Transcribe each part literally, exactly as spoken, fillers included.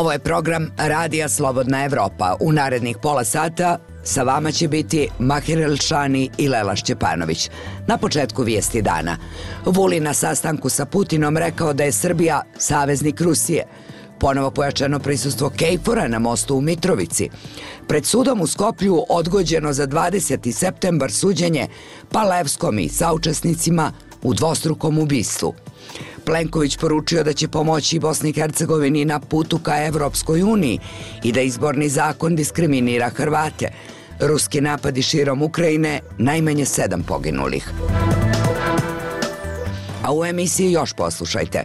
Ovo je program Radija Slobodna Evropa. U narednih pola sata sa vama će biti Mahir Elšani i Lela Šćepanović. Na početku vijesti dana. Vulin na sastanku sa Putinom rekao da je Srbija saveznik Rusije. Ponovo pojačano prisustvo Kejfora na mostu u Mitrovici. Pred sudom u Skoplju odgođeno za dvadeseti septembar suđenje Palevskom i saučesnicima u dvostrukom ubistvu. Plenković poručio da će pomoći Bosni i Hercegovini na putu ka Evropskoj uniji i da izborni zakon diskriminira Hrvate. Ruski napadi širom Ukrajine, najmanje sedam poginulih. A u emisiji još poslušajte.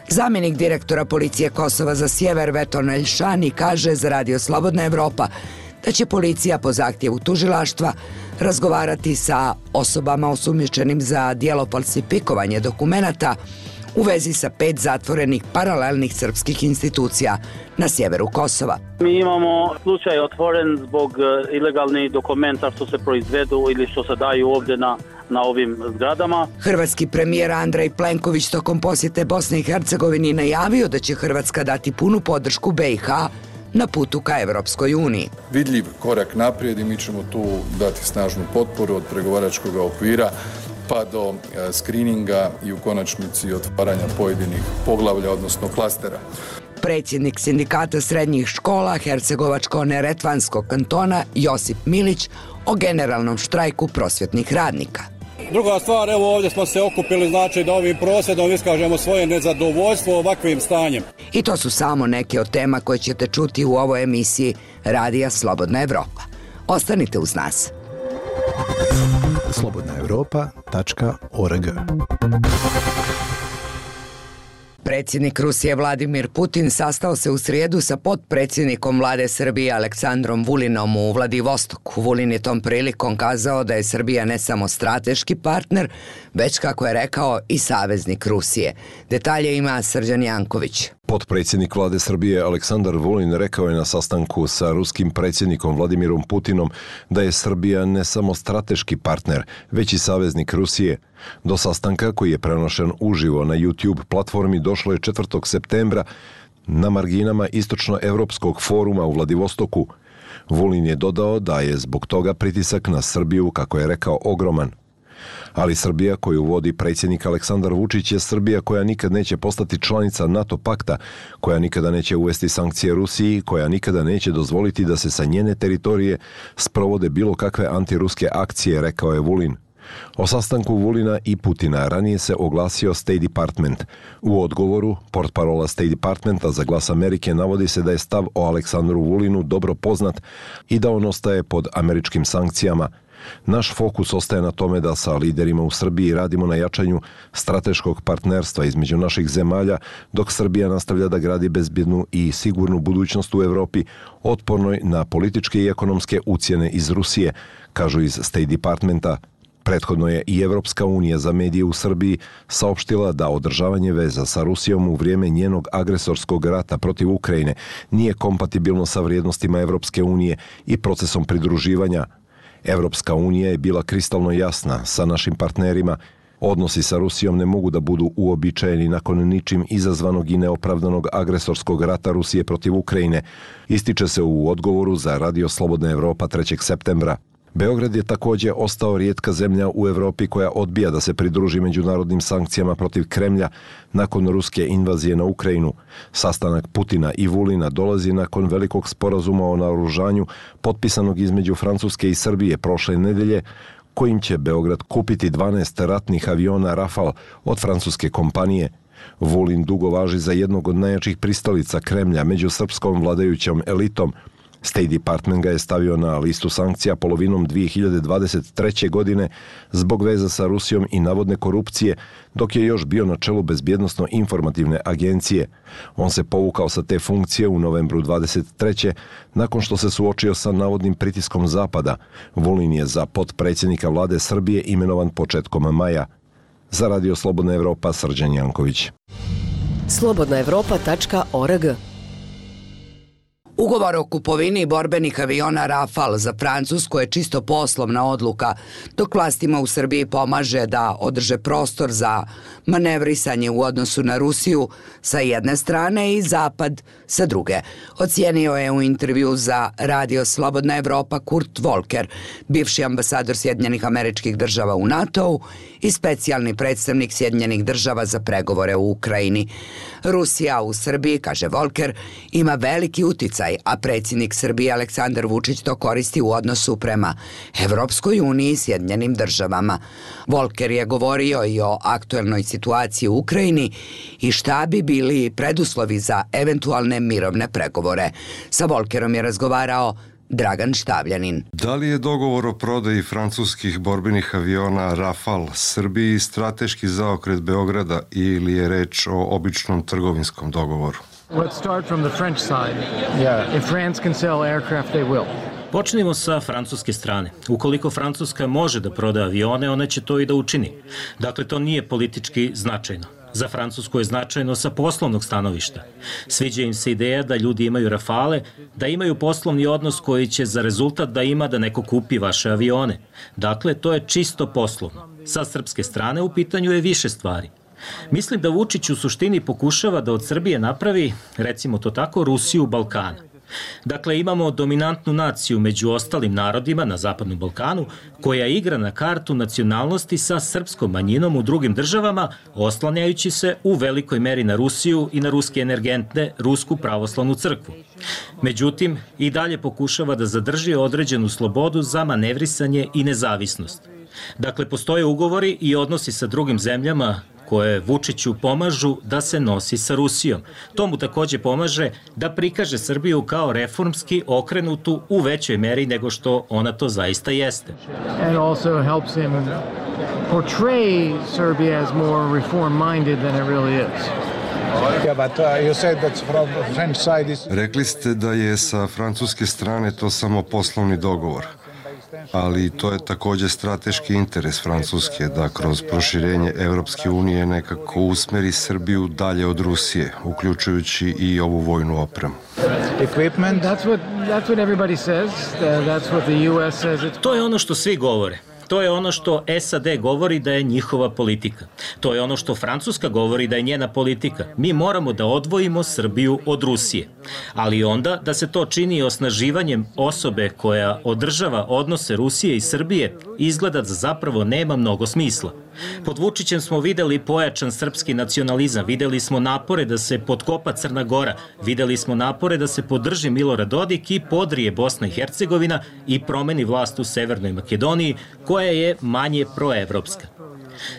Zamjenik direktora policije Kosova za sjever Veton Elšani kaže za Radio Slobodna Evropa da će policija po zahtjevu tužilaštva razgovarati sa osobama osumnjičenim za djelo falsifikovanje dokumenata u vezi sa pet zatvorenih paralelnih srpskih institucija na sjeveru Kosova. Mi imamo slučaj otvoren zbog ilegalnih dokumenta što se proizvedu ili što se daju ovdje na, na ovim zgradama. Hrvatski premijer Andrej Plenković tokom posjete Bosne i Hercegovini najavio da će Hrvatska dati punu podršku B i H na putu ka Evropskoj uniji. Vidljiv korak naprijed i mi ćemo tu dati snažnu potporu od pregovaračkog okvira pa do skrininga i u konačnici otvaranja pojedinih poglavlja, odnosno klastera. Predsjednik sindikata srednjih škola Hercegovačko-neretvanskog kantona Josip Milić o generalnom štrajku prosvjetnih radnika. Druga stvar, evo ovdje smo se okupili, znači da ovim prosvjedom iskažemo svoje nezadovoljstvo ovakvim stanjem. I to su samo neke od tema koje ćete čuti u ovoj emisiji Radija Slobodna Evropa. Ostanite uz nas. slobodna evropa tačka org. Predsjednik Rusije Vladimir Putin sastao se u srijedu sa potpredsjednikom vlade Srbije Aleksandrom Vulinom u Vladivostoku. Vulin je tom prilikom kazao da je Srbija ne samo strateški partner, već, kako je rekao, i saveznik Rusije. Detalje ima Srđan Janković. Potpredsjednik vlade Srbije Aleksandar Vulin rekao je na sastanku sa ruskim predsjednikom Vladimirom Putinom da je Srbija ne samo strateški partner, već i saveznik Rusije. Do sastanka, koji je prenošen uživo na YouTube platformi, došlo je četvrtog septembra na marginama Istočno-Evropskog foruma u Vladivostoku. Vulin je dodao da je zbog toga pritisak na Srbiju, kako je rekao, ogroman. Ali Srbija koju vodi predsjednik Aleksandar Vučić je Srbija koja nikad neće postati članica NATO pakta, koja nikada neće uvesti sankcije Rusiji, koja nikada neće dozvoliti da se sa njene teritorije sprovode bilo kakve antiruske akcije, rekao je Vulin. O sastanku Vulina i Putina ranije se oglasio State Department. U odgovoru, portparola State Departmenta za Glas Amerike navodi se da je stav o Aleksandru Vulinu dobro poznat i da on ostaje pod američkim sankcijama. Naš fokus ostaje na tome da sa liderima u Srbiji radimo na jačanju strateškog partnerstva između naših zemalja, dok Srbija nastavlja da gradi bezbjednu i sigurnu budućnost u Evropi, otpornoj na političke i ekonomske ucjene iz Rusije, kažu iz State Departmenta. Prethodno je i Evropska unija za medije u Srbiji saopštila da održavanje veza sa Rusijom u vrijeme njenog agresorskog rata protiv Ukrajine nije kompatibilno sa vrijednostima Evropske unije i procesom pridruživanja. Evropska unija je bila kristalno jasna sa našim partnerima. Odnosi sa Rusijom ne mogu da budu uobičajeni nakon ničim izazvanog i neopravdanog agresorskog rata Rusije protiv Ukrajine, ističe se u odgovoru za Radio Slobodna Evropa trećeg septembra. Beograd je također ostao rijetka zemlja u Evropi koja odbija da se pridruži međunarodnim sankcijama protiv Kremlja nakon ruske invazije na Ukrajinu. Sastanak Putina i Vulina dolazi nakon velikog sporazuma o naoružanju potpisanog između Francuske i Srbije prošle nedelje, kojim će Beograd kupiti dvanaest ratnih aviona Rafale od francuske kompanije. Vulin dugo važi za jednog od najjačih pristalica Kremlja među srpskom vladajućom elitom. State Department ga je stavio na listu sankcija polovinom dvije hiljade dvadeset treće. godine zbog veza sa Rusijom i navodne korupcije, dok je još bio na čelu bezbjednosno-informativne agencije. On se povukao sa te funkcije u novembru dvadeset treće. nakon što se suočio sa navodnim pritiskom Zapada. Vulin je za potpredsjednika vlade Srbije imenovan početkom maja. Za Radio Slobodna Evropa, Srđan Janković. slobodna evropa tačka org. Ugovor o kupovini borbenih aviona Rafale za Francusku je čisto poslovna odluka, dok vlastima u Srbiji pomaže da održe prostor za manevrisanje u odnosu na Rusiju sa jedne strane i Zapad sa druge. Ocijenio je u intervju za Radio Slobodna Evropa Kurt Volker, bivši ambasador Sjedinjenih Američkih Država u NATO-u i specijalni predstavnik Sjedinjenih Država za pregovore u Ukrajini. Rusija u Srbiji, kaže Volker, ima veliki uticaj, a predsjednik Srbije Aleksandar Vučić to koristi u odnosu prema Evropskoj uniji i Sjedinjenim Državama. Volker je govorio i o aktuelnoj situaciji u Ukrajini i šta bi bili preduslovi za eventualne mirovne pregovore. Sa Volkerom je razgovarao Dragan Štavljanin. Da li je dogovor o prodaji francuskih borbenih aviona Rafale Srbiji strateški zaokret Beograda ili je reč o običnom trgovinskom dogovoru? Let's start from the French side. Yeah. If France can sell aircraft, they will. Počnimo sa francuske strane. Ukoliko Francuska može da proda avione, ona će to i da učini. Dakle, to nije politički značajno. Za Francusku je značajno sa poslovnog stanovišta. Sviđa im se ideja da ljudi imaju Rafale, da imaju poslovni odnos koji će za rezultat da ima da neko kupi vaše avione. Dakle, to je čisto poslovno. Sa srpske strane u pitanju je više stvari. Mislim da Vučić u suštini pokušava da od Srbije napravi, recimo to tako, Rusiju Balkana. Dakle, imamo dominantnu naciju među ostalim narodima na Zapadnom Balkanu, koja igra na kartu nacionalnosti sa srpskom manjinom u drugim državama, oslanjajući se u velikoj meri na Rusiju i na ruske energente, Rusku pravoslavnu crkvu. Međutim, i dalje pokušava da zadrži određenu slobodu za manevrisanje i nezavisnost. Dakle, postoje ugovori i odnosi sa drugim zemljama koje Vučiću pomažu da se nosi sa Rusijom. To mu takođe pomaže da prikaže Srbiju kao reformski okrenutu u većoj meri nego što ona to zaista jeste. And also helps him portray Serbia as more reform-minded than it really is. Rekli ste da je sa francuske strane to samo poslovni dogovor. Ali to je takođe strateški interes Francuske da kroz proširenje Evropske unije nekako usmeri Srbiju dalje od Rusije, uključujući i ovu vojnu opremu. To je ono što svi govore. To je ono što S A D govori da je njihova politika. To je ono što Francuska govori da je njena politika. Mi moramo da odvojimo Srbiju od Rusije. Ali onda da se to čini osnaživanjem osobe koja održava odnose Rusije i Srbije, izgleda da zapravo nema mnogo smisla. Pod Vučićem smo videli pojačan srpski nacionalizam, videli smo napore da se potkopa Crna Gora, videli smo napore da se podrži Milorad Dodik i podrije Bosna i Hercegovina i promeni vlast u Severnoj Makedoniji, koja je manje proevropska.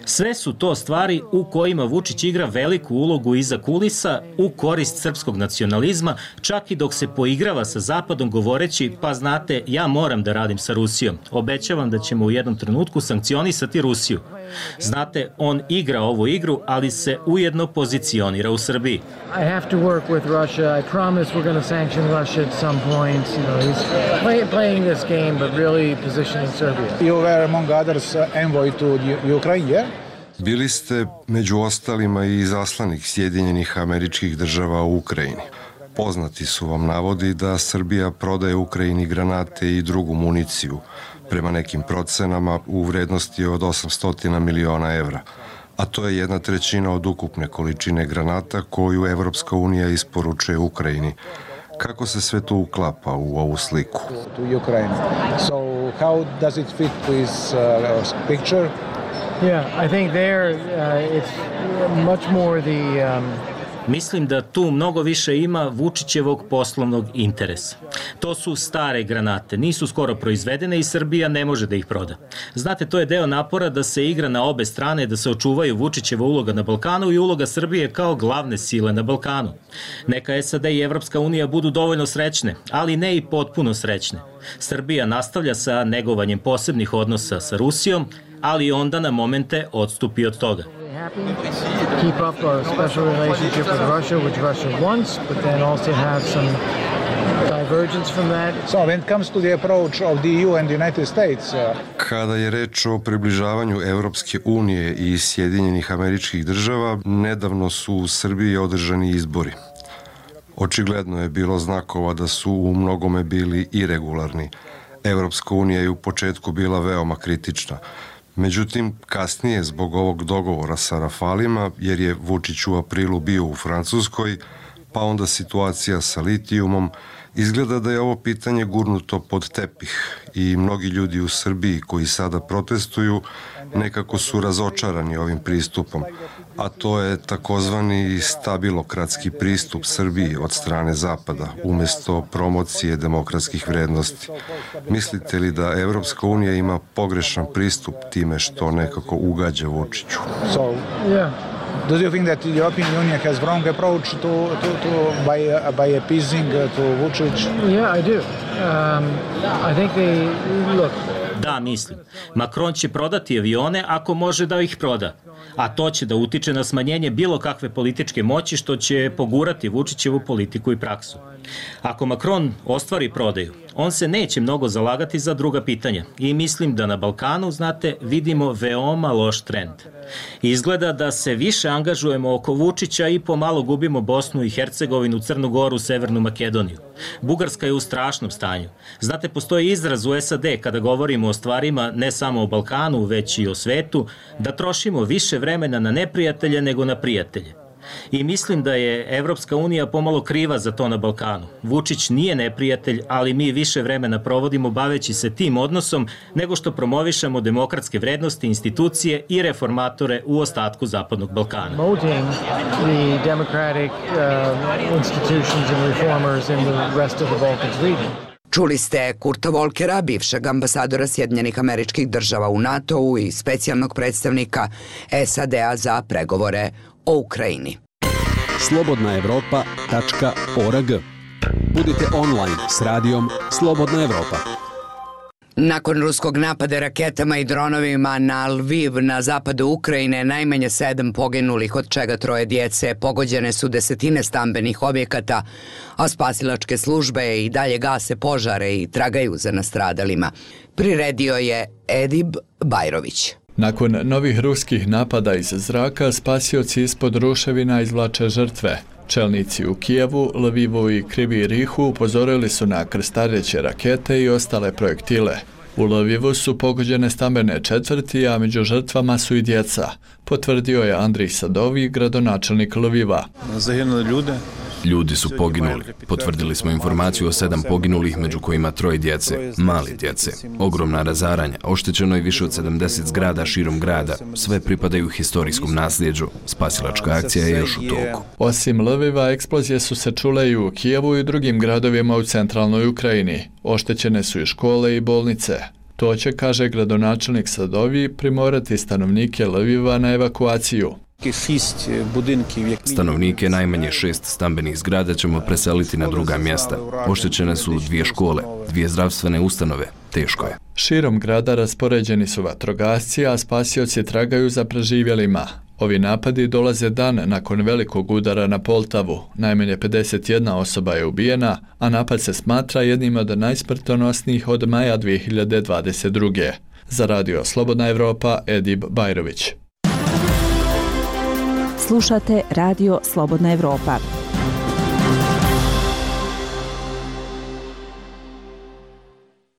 Sve su to stvari u kojima Vučić igra veliku ulogu iza kulisa u korist srpskog nacionalizma, čak i dok se poigrava sa Zapadom govoreći, pa znate, ja moram da radim sa Rusijom. Obećavam da ćemo u jednom trenutku sankcionisati Rusiju. Znate, on igra ovu igru, ali se ujedno pozicionira u Srbiji. I have to work with Russia. I promise we're going to sanction Russia at some point. You know, he's play, playing this game, but really positioning Serbia. You were among others envoy to Ukraine, yeah? Bili ste među ostalima i izaslanik Sjedinjenih Američkih Država u Ukrajini. Poznati su vam navodi da Srbija prodaje Ukrajini granate i drugu municiju, prema nekim procenama u vrednosti od osamsto miliona evra, a to je jedna trećina od ukupne količine granata koju Evropska unija isporučuje Ukrajini. Kako se sve to uklapa u ovu sliku? To Ukraine. So how does it fit with uh, picture? Yeah, I think there uh, it's much more the um, Mislim da tu mnogo više ima Vučićevog poslovnog interesa. To su stare granate, nisu skoro proizvedene i Srbija ne može da ih proda. Znate, to je deo napora da se igra na obe strane, da se očuvaju Vučićeva uloga na Balkanu i uloga Srbije kao glavne sile na Balkanu. Neka S A D i Evropska unija budu dovoljno srećne, ali ne i potpuno srećne. Srbija nastavlja sa negovanjem posebnih odnosa sa Rusijom, ali onda na momente odstupi od toga. Keep up a special relationship with Russia, which Russia wants, but then also have some divergence from that. So when it comes to the approach of the E U and the United States, uh... Kada je reč o približavanju Evropske unije i Sjedinjenih Američkih Država, nedavno su u Srbiji održani izbori. Očigledno je bilo znakova da su u mnogome bili iregularni. Evropska unija je u početku bila veoma kritična. Međutim, kasnije, zbog ovog dogovora sa Rafalima, jer je Vučić u aprilu bio u Francuskoj, pa onda situacija sa litijumom, izgleda da je ovo pitanje gurnuto pod tepih i mnogi ljudi u Srbiji koji sada protestuju nekako su razočarani ovim pristupom, a to je takozvani stabilokratski pristup Srbiji od strane Zapada, umjesto promocije demokratskih vrednosti. Mislite li da Evropska unija ima pogrešan pristup time što nekako ugađa Vučiću? So, yeah. Do you think that the European Union has wrong approach to, to, to by, uh, by appeasing uh, to Vučić? Yeah, I do. Um, I think they, look, Da, mislim. Macron će prodati avione ako može da ih proda. A to će da utiče na smanjenje bilo kakve političke moći što će pogurati Vučićevu politiku i praksu. Ako Macron ostvari prodaju, on se neće mnogo zalagati za druga pitanja i mislim da na Balkanu, znate, vidimo veoma loš trend. Izgleda da se više angažujemo oko Vučića i pomalo gubimo Bosnu i Hercegovinu, Crnu Goru, Severnu Makedoniju. Bugarska je u strašnom stanju. Znate, postoji izraz u S A D kada govorimo o stvarima ne samo o Balkanu, već i o svetu, da trošimo više vremena na neprijatelje nego na prijatelje. I mislim da je Evropska unija pomalo kriva za to na Balkanu. Vučić nije neprijatelj, ali mi više vremena provodimo baveći se tim odnosom nego što promovišemo demokratske vrednosti, institucije i reformatore u ostatku Zapadnog Balkana. Promoting the democratic uh, institutions and reformers in the rest of the Balkans region. Čuli ste Kurta Volkera, bivšeg ambasadora Sjedinjenih Američkih Država u NATO-u i specijalnog predstavnika S A D-a za pregovore o Ukrajini. slobodna evropa tačka org. Budite online s radijom Slobodna Evropa. Nakon ruskog napada raketama i dronovima na Lviv na zapadu Ukrajine, najmanje sedam poginulih, od čega troje djece, pogođene su desetine stambenih objekata, a spasilačke službe i dalje gase požare i tragaju za nastradalima. Priredio je Edib Bajrović. Nakon novih ruskih napada iz zraka, spasioci ispod ruševina izvlače žrtve. Čelnici u Kijevu, Lvivu i Krivi Rihu upozorili su na krstareće rakete i ostale projektile. U Lvivu su pogođene stambene četvrti, a među žrtvama su i djeca, potvrdio je Andrij Sadovi, gradonačelnik Lviva. Zaginuli ljude. Ljudi su poginuli. Potvrdili smo informaciju o sedam poginulih, među kojima troje djece, mali djece. Ogromna razaranja, oštećeno je više od sedamdeset zgrada širom grada. Sve pripadaju historijskom nasljeđu. Spasilačka akcija je još u toku. Osim Lviva, eksplozije su se čule i u Kijevu i drugim gradovima u centralnoj Ukrajini. Oštećene su i škole i bolnice. To će, kaže gradonačelnik Sadovi, primorati stanovnike Lviva na evakuaciju. Stanovnike najmanje šest stambenih zgrada ćemo preseliti na druga mjesta. Oštećene su dvije škole, dvije zdravstvene ustanove. Teško je. Širom grada raspoređeni su vatrogasci, a spasioci tragaju za preživjelima. Ovi napadi dolaze dan nakon velikog udara na Poltavu. Najmanje pedeset jedna osoba je ubijena, a napad se smatra jednim od najsmrtonosnijih od maja dvije hiljade dvadeset druge. Za radio Slobodna Evropa, Edib Bajrović. Slušate radio Slobodna Evropa.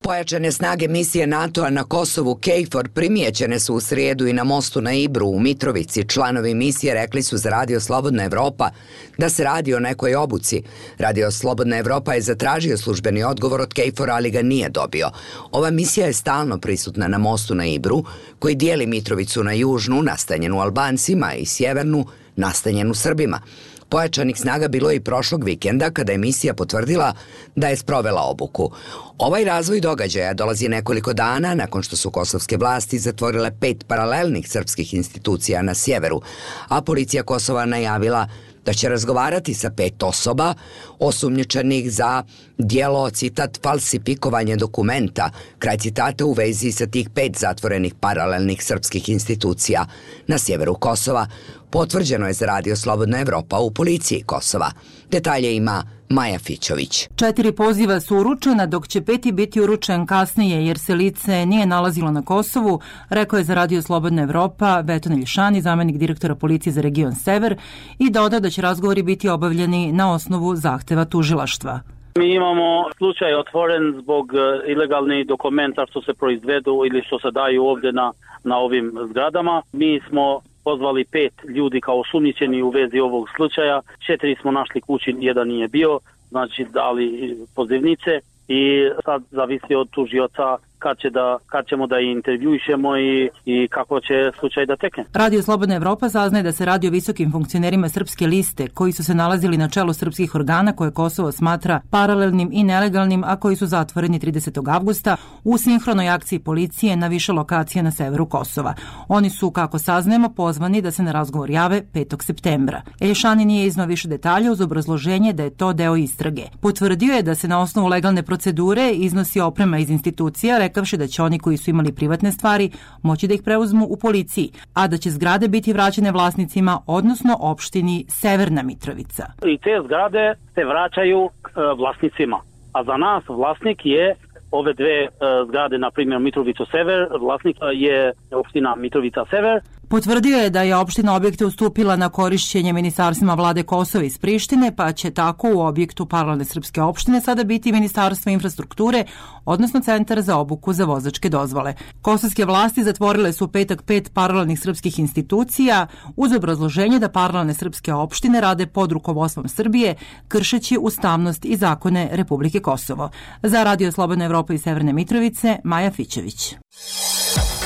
Pojačane snage misije NATO-a na Kosovu KFOR primijećene su u srijedu i na mostu na Ibru u Mitrovici. Članovi misije rekli su za radio Slobodna Evropa da se radi o nekoj obuci. Radio Slobodna Evropa je zatražio službeni odgovor od KFOR-a, ali ga nije dobio. Ova misija je stalno prisutna na mostu na Ibru, koji dijeli Mitrovicu na južnu, nastanjenu Albancima, i sjevernu, nastanjenu Srbima. Pojačanih snaga bilo je i prošlog vikenda kada je misija potvrdila da je sprovela obuku. Ovaj razvoj događaja dolazi nekoliko dana nakon što su kosovske vlasti zatvorile pet paralelnih srpskih institucija na sjeveru, a policija Kosova najavila da će razgovarati sa pet osoba osumnjičenih za djelo, citat, falsifikovanje dokumenta, kraj citata, u vezi sa tih pet zatvorenih paralelnih srpskih institucija na sjeveru Kosova. Potvrđeno je za radio Slobodna Evropa u policiji Kosova. Detalje ima Maja Fićović. Četiri poziva su uručena, dok će peti biti uručen kasnije jer se lice nije nalazilo na Kosovu, rekao je za Radio Slobodna Evropa Veton Iljšani, zamenik direktora policije za region Sever, i dodao da će razgovori biti obavljeni na osnovu zahteva tužilaštva. Mi imamo slučaj otvoren zbog ilegalnih dokumenta što se proizvedu ili što se daju ovdje na, na ovim zgradama. Mi smo pozvali pet ljudi kao osumnjičeni u vezi ovog slučaja. Četiri smo našli kući, jedan nije bio, znači dali pozivnice i sad zavisi od tužioca kad, će da, kad ćemo da intervjuišemo i, i kako će slučaj da tekne. Radio Slobodna Evropa saznaje da se radi o visokim funkcionerima Srpske liste koji su se nalazili na čelu srpskih organa koje Kosovo smatra paralelnim i nelegalnim, a koji su zatvoreni tridesetog avgusta u sinhronoj akciji policije na više lokacija na severu Kosova. Oni su, kako saznajemo, pozvani da se na razgovor jave petog septembra. Iljšani nije iznao više detalja uz obrazloženje da je to deo istrage. Potvrdio je da se na osnovu legalne procedure iznosi oprema iz institucija, rekavši da će oni koji su imali privatne stvari moći da ih preuzmu u policiji, a da će zgrade biti vraćene vlasnicima, odnosno opštini Severna Mitrovica. I te zgrade se vraćaju e, vlasnicima, a za nas vlasnik je ove dve e, zgrade, na primjer Mitrovica Sever, vlasnik je opština Mitrovica Sever. Potvrdio je da je opština objekte ustupila na korišćenje ministarstvima vlade Kosova iz Prištine, pa će tako u objektu paralelne srpske opštine sada biti Ministarstvo infrastrukture, odnosno Centar za obuku za vozačke dozvole. Kosovske vlasti zatvorile su u petak pet paralelnih srpskih institucija uz obrazloženje da paralelne srpske opštine rade pod rukovodstvom Srbije, kršeći ustavnost i zakone Republike Kosovo. Za Radio Slobodna Evropa iz Severne Mitrovice, Maja Fićović.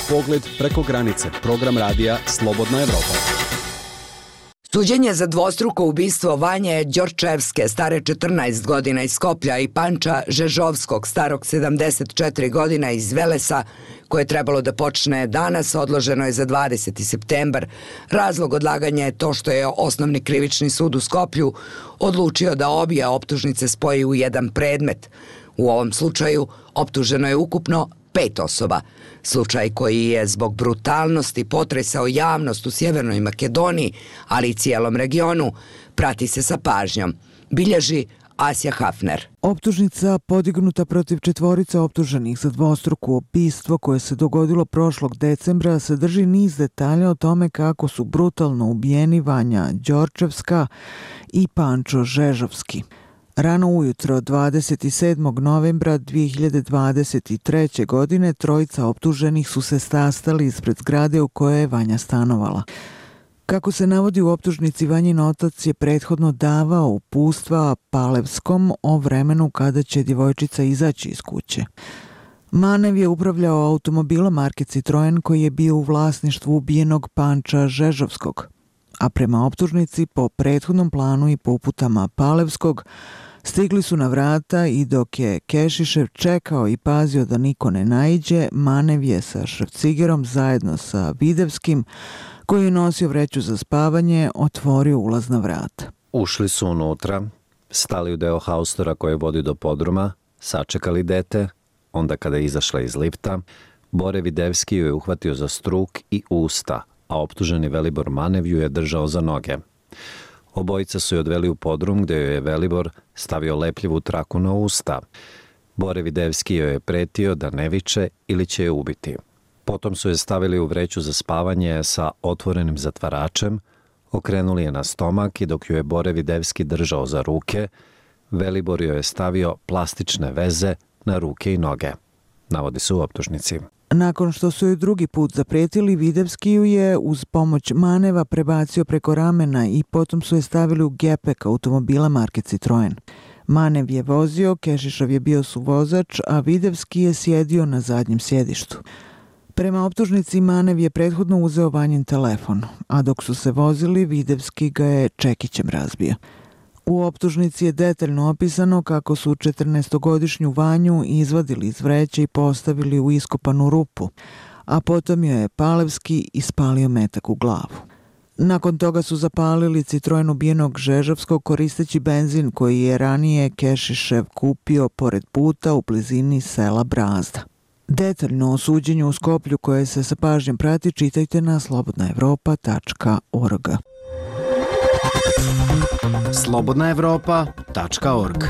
Pogled preko granice, program radija Slobodna Evropa. Suđenje za dvostruko ubistvo Vanje Đorčevske, stare četrnaest godina iz Skoplja, i Panča Žežovskog, starog sedamdeset četiri godina iz Velesa, koje je trebalo da počne danas, odloženo je za dvadeseti septembar. Razlog odlaganja je to što je Osnovni krivični sud u Skoplju odlučio da obje optužnice spoji u jedan predmet. U ovom slučaju optuženo je ukupno pet osoba. Slučaj koji je zbog brutalnosti potresao javnost u Sjevernoj Makedoniji, ali i cijelom regionu, prati se sa pažnjom. Bilježi Asja Hafner. Optužnica podignuta protiv četvorice optuženih za dvostruko ubistvo koje se dogodilo prošlog decembra sadrži niz detalja o tome kako su brutalno ubijeni Vanja Đorčevska i Pančo Žežovski. Rano ujutro dvadeset sedmog novembra dve hiljade dvadeset treće. godine trojica optuženih su se sastali ispred zgrade u kojoj je Vanja stanovala. Kako se navodi u optužnici, Vanjin otac je prethodno davao uputstva Palevskom o vremenu kada će djevojčica izaći iz kuće. Manev je upravljao automobilom marke Citroen koji je bio u vlasništvu ubijenog Panča Žežovskog, a prema optužnici po prethodnom planu i po uputama Palevskog stigli su na vrata i dok je Kešišev čekao i pazio da niko ne naiđe, Manev je sa Šrafcigerom zajedno sa Videvskim, koji je nosio vreću za spavanje, otvorio ulazna vrata. Ušli su unutra, stali u deo haustora koji vodi do podruma, sačekali dete, onda kada je izašla iz lifta, Bore Videvski ju je uhvatio za struk i usta, a optuženi Velibor Manev ju je držao za noge. Obojica su je odveli u podrum gdje joj je Velibor stavio lepljivu traku na usta. Bore Videvski joj je pretio da ne viče ili će je ubiti. Potom su je stavili u vreću za spavanje sa otvorenim zatvaračem, okrenuli je na stomak i dok ju je Bore Videvski držao za ruke, Velibor joj je stavio plastične veze na ruke i noge, navodi se u optužnici. Nakon što su joj drugi put zapretili, Videvski ju je uz pomoć Maneva prebacio preko ramena i potom su je stavili u gepek automobila marke Citroen. Manev je vozio, Kešišov je bio suvozač, a Videvski je sjedio na zadnjem sjedištu. Prema optužnici, Manev je prethodno uzeo Vanjin telefon, a dok su se vozili, Videvski ga je čekićem razbio. U optužnici je detaljno opisano kako su četrnaestogodišnju Vanju izvadili iz vreće i postavili u iskopanu rupu, a potom joj je Palevski ispalio metak u glavu. Nakon toga su zapalili Citroen ubijenog Žežovskog koristeći benzin koji je ranije Kešišev kupio pored puta u blizini sela Brazda. Detaljno o suđenju u Skoplju koje se sa pažnjom prati čitajte na slobodna evropa tačka org. slobodna evropa tačka org.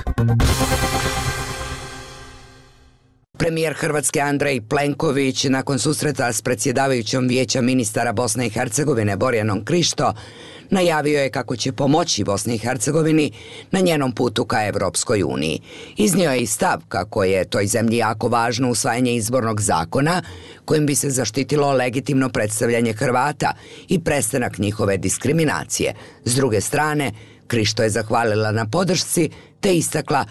Premijer Hrvatske Andrej Plenković nakon susreta s predsjedavajućom Vijeća ministara Bosne i Hercegovine Borjanom Krišto najavio je kako će pomoći Bosni i Hercegovini na njenom putu ka Evropskoj uniji. Iznio je i stav kako je toj zemlji jako važno usvajanje izbornog zakona kojim bi se zaštitilo legitimno predstavljanje Hrvata i prestanak njihove diskriminacije. S druge strane, Krišto je zahvalila na podršci te istakla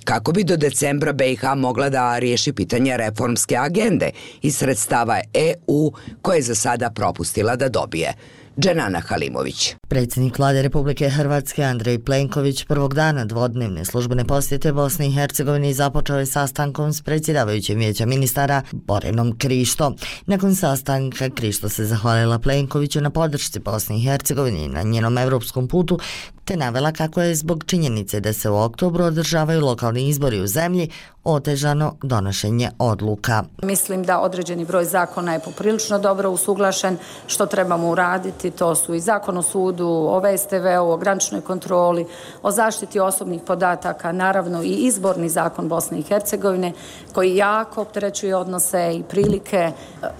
kako bi do decembra B i H mogla da riješi pitanje reformske agende iz sredstava E U koje je za sada propustila da dobije. Dženana Halimović. Predsjednik Vlade Republike Hrvatske Andrej Plenković prvog dana dvodnevne službene posjete Bosni i Hercegovini započeo je sastankom s predsjedavajućim Vijeća ministara Borjanom Krišto. Nakon sastanka Krišto se zahvalila Plenkoviću na podršci Bosni i Hercegovini na njenom evropskom putu, te navela kako je zbog činjenice da se u oktobru održavaju lokalni izbori u zemlji otežano donošenje odluka. Mislim da određeni broj zakona je poprilično dobro usuglašen. Što trebamo uraditi, to su i zakon o sudu, o V S T V-u, o graničnoj kontroli, o zaštiti osobnih podataka, naravno i izborni zakon Bosne i Hercegovine koji jako opterećuje odnose i prilike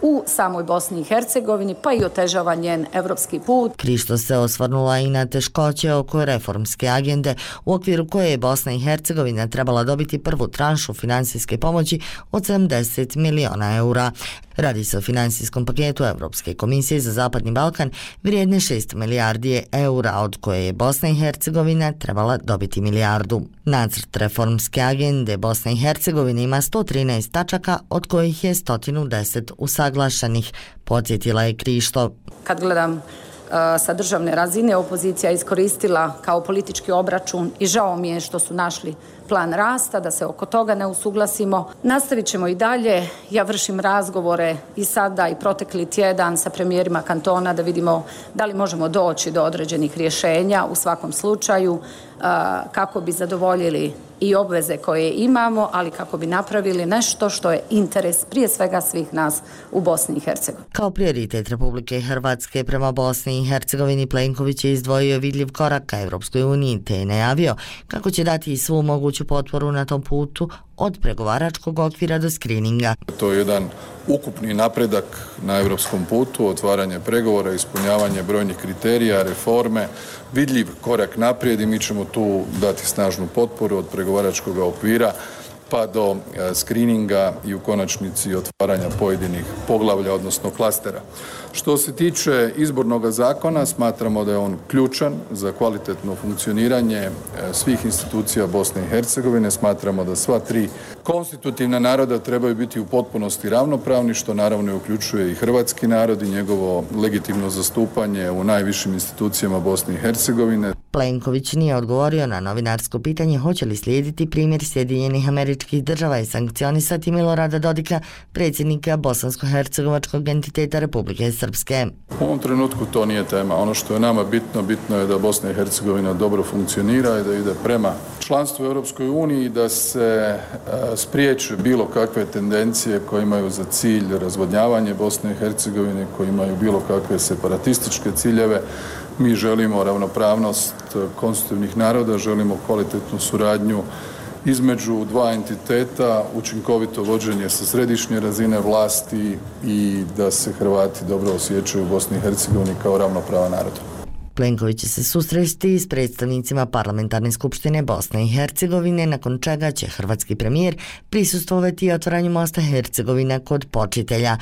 u samoj Bosni i Hercegovini, pa i otežava njen evropski put. Krišto se osvrnula i na teškoće oko reformske agende u okviru koje je Bosna i Hercegovina trebala dobiti prvu tranšu finansijske pomoći od sedamdeset miliona eura. Radi se o finansijskom paketu Evropske komisije za Zapadni Balkan vrijedne šest milijardi eura, od koje je Bosna i Hercegovina trebala dobiti milijardu. Nacrt reformske agende Bosne i Hercegovine ima sto trinaest tačaka, od kojih je sto deset usaglašenih, podsjetila je Krišto. Kad gledam sa državne razine, opozicija iskoristila kao politički obračun i žao mi je što su našli plan rasta, da se oko toga ne usuglasimo. Nastavit ćemo i dalje. Ja vršim razgovore i sada i protekli tjedan sa premijerima kantona da vidimo da li možemo doći do određenih rješenja u svakom slučaju kako bi zadovoljili i obveze koje imamo, ali kako bi napravili nešto što je interes prije svega svih nas u Bosni i Hercegovini. Kao prioritet Republike Hrvatske prema Bosni i Hercegovini Plenković je izdvojio vidljiv korak ka Evropskoj uniji te je najavio kako će dati svu moguću potporu na tom putu od pregovaračkog okvira do skrininga. To je jedan ukupni napredak na evropskom putu, otvaranje pregovora, ispunjavanje brojnih kriterija, reforme, vidljiv korak naprijed i mi ćemo tu dati snažnu potporu od pregovaračkog okvira pa do skrininga i u konačnici otvaranja pojedinih poglavlja, odnosno klastera. Što se tiče izbornog zakona, smatramo da je on ključan za kvalitetno funkcioniranje svih institucija Bosne i Hercegovine. Smatramo da sva tri konstitutivna naroda trebaju biti u potpunosti ravnopravni, što naravno uključuje i hrvatski narod i njegovo legitimno zastupanje u najvišim institucijama Bosne i Hercegovine. Plenković nije odgovorio na novinarsko pitanje hoće li slijediti primjer Sjedinjenih Američkih Država i sankcionisati Milorada Dodika, predsjednika bosansko-hercegovačkog entiteta Republike Srpske. U ovom trenutku to nije tema. Ono što je nama bitno, bitno je da Bosna i Hercegovina dobro funkcionira i da ide prema članstvu u Europskoj uniji, da se spriječe bilo kakve tendencije koje imaju za cilj razvodnjavanje Bosne i Hercegovine, koje imaju bilo kakve separatističke ciljeve. Mi želimo ravnopravnost konstitutivnih naroda, želimo kvalitetnu suradnju između dva entiteta, učinkovito vođenje sa središnje razine vlasti i da se Hrvati dobro osjećaju u Bosni i Hercegovini kao ravnopravan narod. Plenković će se susresti s predstavnicima Parlamentarne skupštine Bosne i Hercegovine, nakon čega će hrvatski premijer prisustvovati otvaranju mosta Hercegovina kod Počitelja.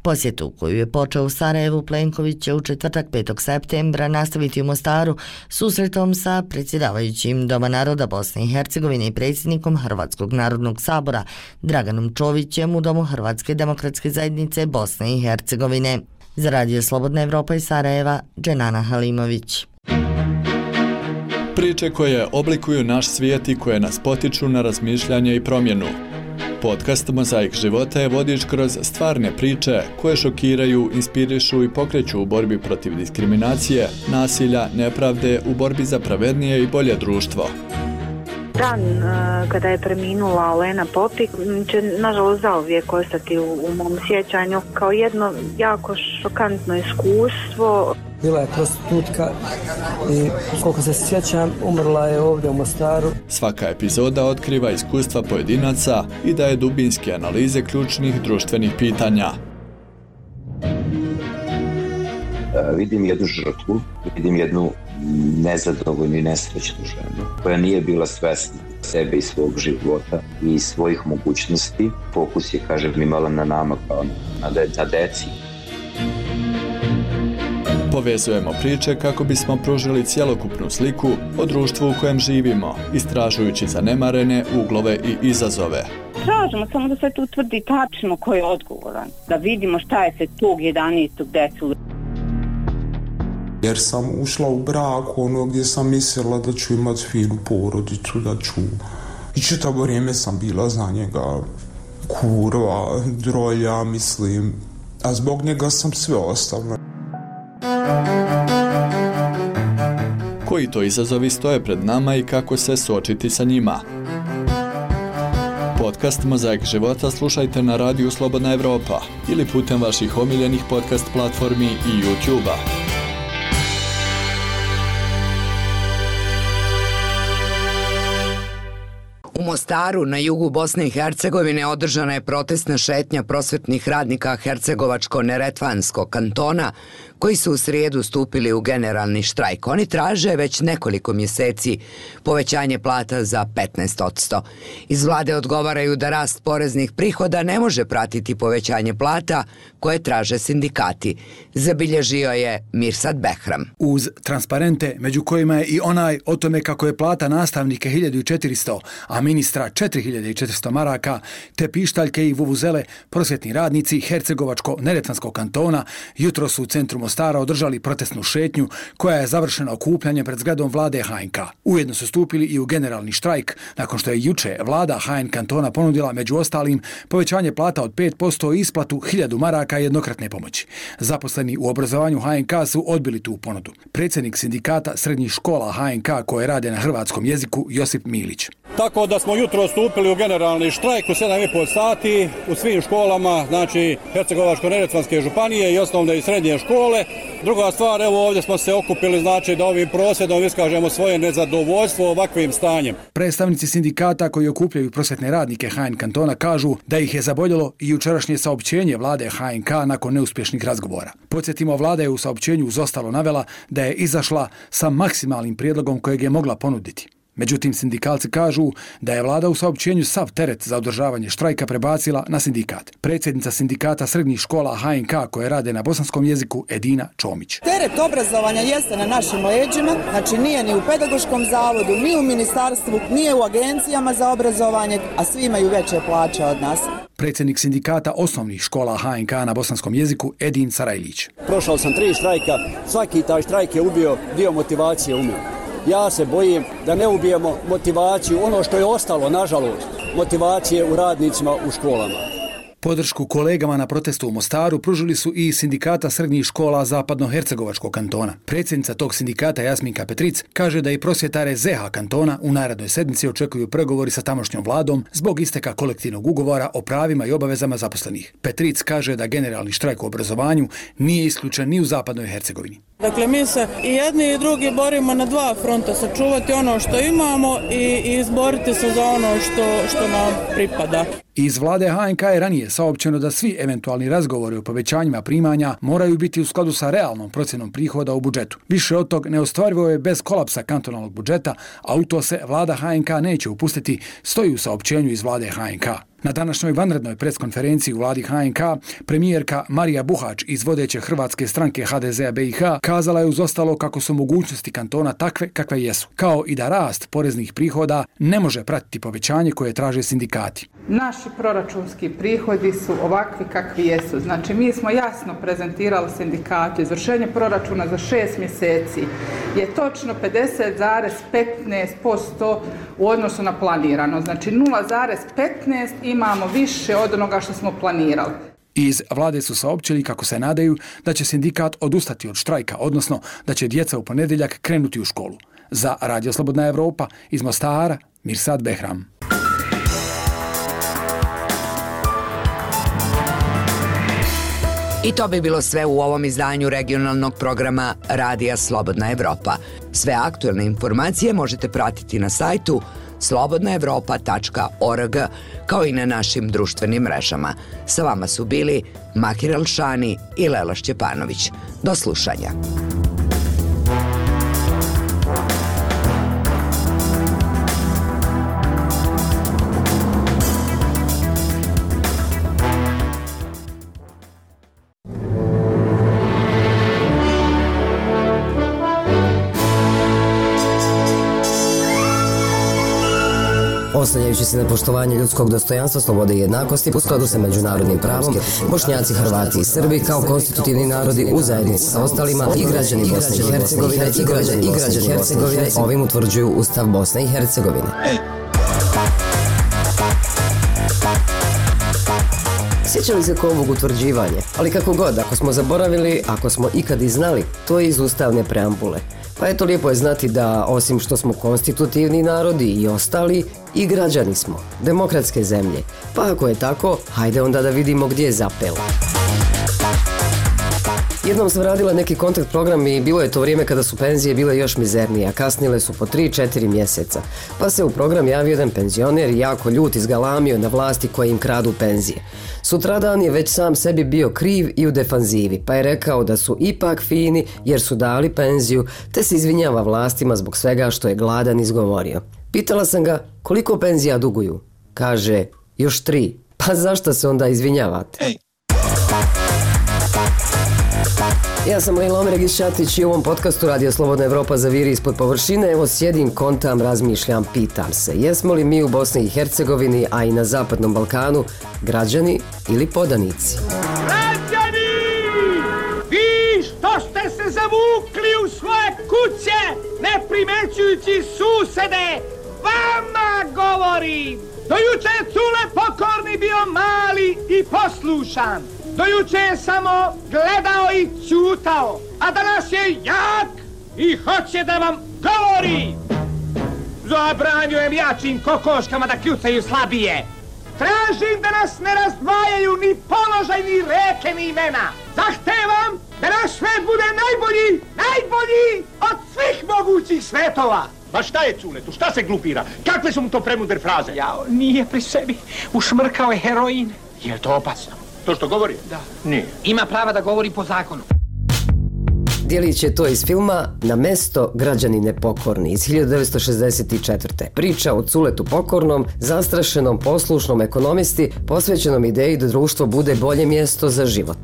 Posjetu koju je počeo u Sarajevu, Plenković će u četvrtak petog septembra nastaviti u Mostaru susretom sa predsjedavajućim Doma naroda Bosne i Hercegovine i predsjednikom Hrvatskog narodnog sabora Draganom Čovićem u Domu Hrvatske demokratske zajednice Bosne i Hercegovine. Za Radio Slobodna Evropa iz Sarajeva, Dženana Halimović. Priče koje oblikuju naš svijet i koje nas potiču na razmišljanje i promjenu. Podcast Mozaik života je vodič kroz stvarne priče koje šokiraju, inspirišu i pokreću u borbi protiv diskriminacije, nasilja, nepravde, u borbi za pravednije i bolje društvo. Dan kada je preminula Olena Popik će nažalost zauvijek ostati u, u mom sjećanju kao jedno jako šokantno iskustvo. bila je prostitutka i koliko se sjećam, umrla je ovdje u Mostaru. Svaka epizoda otkriva iskustva pojedinaca i daje dubinske analize ključnih društvenih pitanja. Vidim jednu žrtvu, vidim jednu nezadovoljnu i nesrećnu ženu koja nije bila svesna sebe i svog života i svojih mogućnosti. Fokus je, kažem, imala na nama kao na, de, na deci. Povezujemo priče kako bismo pružili cjelokupnu sliku o društvu u kojem živimo, istražujući zanemarene uglove i izazove. Tražimo samo da se tu utvrdi tačno ko je odgovoran, da vidimo šta je se tog jedanaestog desilo. Jer sam ušla u brak ono gdje sam mislila da ću imati finu porodicu, da ću... I čitavo vrijeme sam bila za njega kurva, drolja, mislim, a zbog njega sam sve ostavila. Koji to izazovi stoje pred nama i kako se suočiti sa njima? Podcast Mozaik života slušajte na radiju Slobodna Evropa ili putem vaših omiljenih podcast platformi i YouTube-a. U Mostaru, na jugu Bosne i Hercegovine, održana je protestna šetnja prosvetnih radnika Hercegovačko-Neretvanskog kantona, koji su u srijedu stupili u generalni štrajk. Oni traže već nekoliko mjeseci povećanje plata za petnaest posto. Iz vlade odgovaraju da rast poreznih prihoda ne može pratiti povećanje plata koje traže sindikati. Zabilježio je Mirsad Behram. Uz transparente, među kojima je i onaj o tome kako je plata nastavnike hiljadu četiristo, a ministra četiri hiljade četiristo maraka, te pištaljke i vuvuzele, prosvjetni radnici Hercegovačko-Neretvanskog kantona jutro su u centru Mostara održali protestnu šetnju koja je završena okupljanjem pred zgradom vlade H N K. Ujedno su stupili i u generalni štrajk nakon što je juče vlada H N kantona ponudila među ostalim povećanje plata od pet posto i isplatu hiljadu maraka jednokratne pomoći. Zaposleni u obrazovanju H N K su odbili tu ponudu. Predsjednik sindikata srednjih škola H N K koje rade na hrvatskom jeziku Josip Milić. Tako da smo jutro stupili u generalni štrajk u sedam i po sati u svim školama, znači Hercegovačko-Neretvanske županije i osnovne i srednje škole. Druga stvar, evo ovdje smo se okupili, znači da ovim prosvjedom iskažemo svoje nezadovoljstvo ovakvim stanjem. Predstavnici sindikata koji okupljaju prosvjetne radnike H N kantona kažu da ih je zaboljelo i jučerašnje saopćenje vlade H N K nakon neuspješnih razgovora. Podsjetimo, vlada je u saopćenju uz ostalo navela da je izašla sa maksimalnim prijedlogom kojeg je mogla ponuditi. Međutim, sindikalci kažu da je vlada u saopćenju sav teret za održavanje štrajka prebacila na sindikat. Predsjednica sindikata srednjih škola H N K koje rade na bosanskom jeziku Edina Čomić. Teret obrazovanja jeste na našim leđima, znači nije ni u pedagoškom zavodu, ni u ministarstvu, nije u agencijama za obrazovanje, a svi imaju veće plaće od nas. Predsjednik sindikata osnovnih škola H N K na bosanskom jeziku Edin Sarajlić. Prošao sam tri štrajka, svaki taj štrajk je ubio dio motivacije u mene. Ja se bojim da ne ubijemo motivaciju, ono što je ostalo, nažalost, motivacije u radnicima u školama. Podršku kolegama na protestu u Mostaru pružili su i sindikata srednjih škola Zapadno-Hercegovačkog kantona. Predsjednica tog sindikata Jasminka Petric kaže da i prosvjetare Z H kantona u narednoj sedmici očekuju pregovori sa tamošnjom vladom zbog isteka kolektivnog ugovora o pravima i obavezama zaposlenih. Petric kaže da generalni štrajk u obrazovanju nije isključen ni u Zapadnoj Hercegovini. Dakle, mi se i jedni i drugi borimo na dva fronta, sačuvati ono što imamo i izboriti se za ono što, što nam pripada. Iz vlade H N K je ranije saopćeno da svi eventualni razgovori o povećanjima primanja moraju biti u skladu sa realnom procjenom prihoda u budžetu. Više od tog neostvarivo je bez kolapsa kantonalnog budžeta, a u to se vlada H N K neće upustiti, stoji u saopćenju iz vlade H N K. Na današnjoj vanrednoj preskonferenciji u vladi H N K premijerka Marija Buhač iz vodeće hrvatske stranke H D Z-a B i H kazala je uz ostalo kako su mogućnosti kantona takve kakve jesu, kao i da rast poreznih prihoda ne može pratiti povećanje koje traže sindikati. Naši proračunski prihodi su ovakvi kakvi jesu. Znači, mi smo jasno prezentirali sindikatu. Izvršenje proračuna za šest mjeseci je točno pedeset zarez petnaest posto u odnosu na planirano. Znači, nula zarez petnaest imamo više od onoga što smo planirali. Iz vlade su saopćili kako se nadaju da će sindikat odustati od štrajka, odnosno da će djeca u ponedjeljak krenuti u školu. Za Radio Slobodna Evropa iz Mostara, Mirsad Behram. I to bi bilo sve u ovom izdanju regionalnog programa Radija Slobodna Evropa. Sve aktuelne informacije možete pratiti na sajtu slobodna evropa tačka org kao i na našim društvenim mrežama. Sa vama su bili Mahir Elšani i Lela Šćepanović. Do slušanja. Oslanjajući se na poštovanje ljudskog dostojanstva, slobode i jednakosti u skladu sa međunarodnim pravom, Bošnjaci, Hrvati i Srbi kao konstitutivni narodi u zajednici sa ostalima i građani Bosne i Hercegovine i građani i građani Hercegovine ovim utvrđuju Ustav Bosne i Hercegovine. Sjećali se ko ovog utvrđivanja, ali kako god, ako smo zaboravili, ako smo ikad i znali, to je iz ustavne preambule. Pa eto, lijepo je znati da, osim što smo konstitutivni narodi i ostali, i građani smo, demokratske zemlje. Pa ako je tako, hajde onda da vidimo gdje je zapelo. Jednom sam radila neki kontakt program i bilo je to vrijeme kada su penzije bile još mizernije, a kasnile su po tri četiri mjeseca. Pa se u program javio jedan penzioner i jako ljut izgalamio na vlasti koje im kradu penzije. Sutradan je već sam sebi bio kriv i u defanzivi, pa je rekao da su ipak fini jer su dali penziju, te se izvinjava vlastima zbog svega što je gladan izgovorio. Pitala sam ga koliko penzija duguju. Kaže, još tri. Pa zašto se onda izvinjavate? Hey. Ja sam Lejla Omeregić Šatić i u ovom podcastu Radio Slobodna Evropa zaviri ispod površine. Evo sjedim, kontam, razmišljam, pitam se. Jesmo li mi u Bosni i Hercegovini, a i na Zapadnom Balkanu, građani ili podanici? Građani! Vi što ste se zavukli u svoje kuće, ne primećujući susede, vama govorim! Do juče je Cule Pokorni bio mali i poslušan. Do juče je samo gledao i ćutao, a danas je jak i hoće da vam govori. Zabranjujem jačim kokoškama da kljucaju slabije. Tražim da nas ne razdvajaju ni položaj, ni reke, ni imena. Zahtevam da naš svet bude najbolji, najbolji od svih mogućih svetova. Ma šta je Culetu, šta se glupira? Kakve su mu to premudre fraze? Jao, nije pri sebi. Ušmrkao je heroin. Je li to opasno? To što govori? Da. Nije. Ima prava da govori po zakonu. Djelić je to iz filma Na mesto građani nepokorni iz hiljadu devetsto šezdeset četvrte. Priča o Culetu Pokornom, zastrašenom, poslušnom ekonomisti, posvećenom ideji da društvo bude bolje mjesto za život.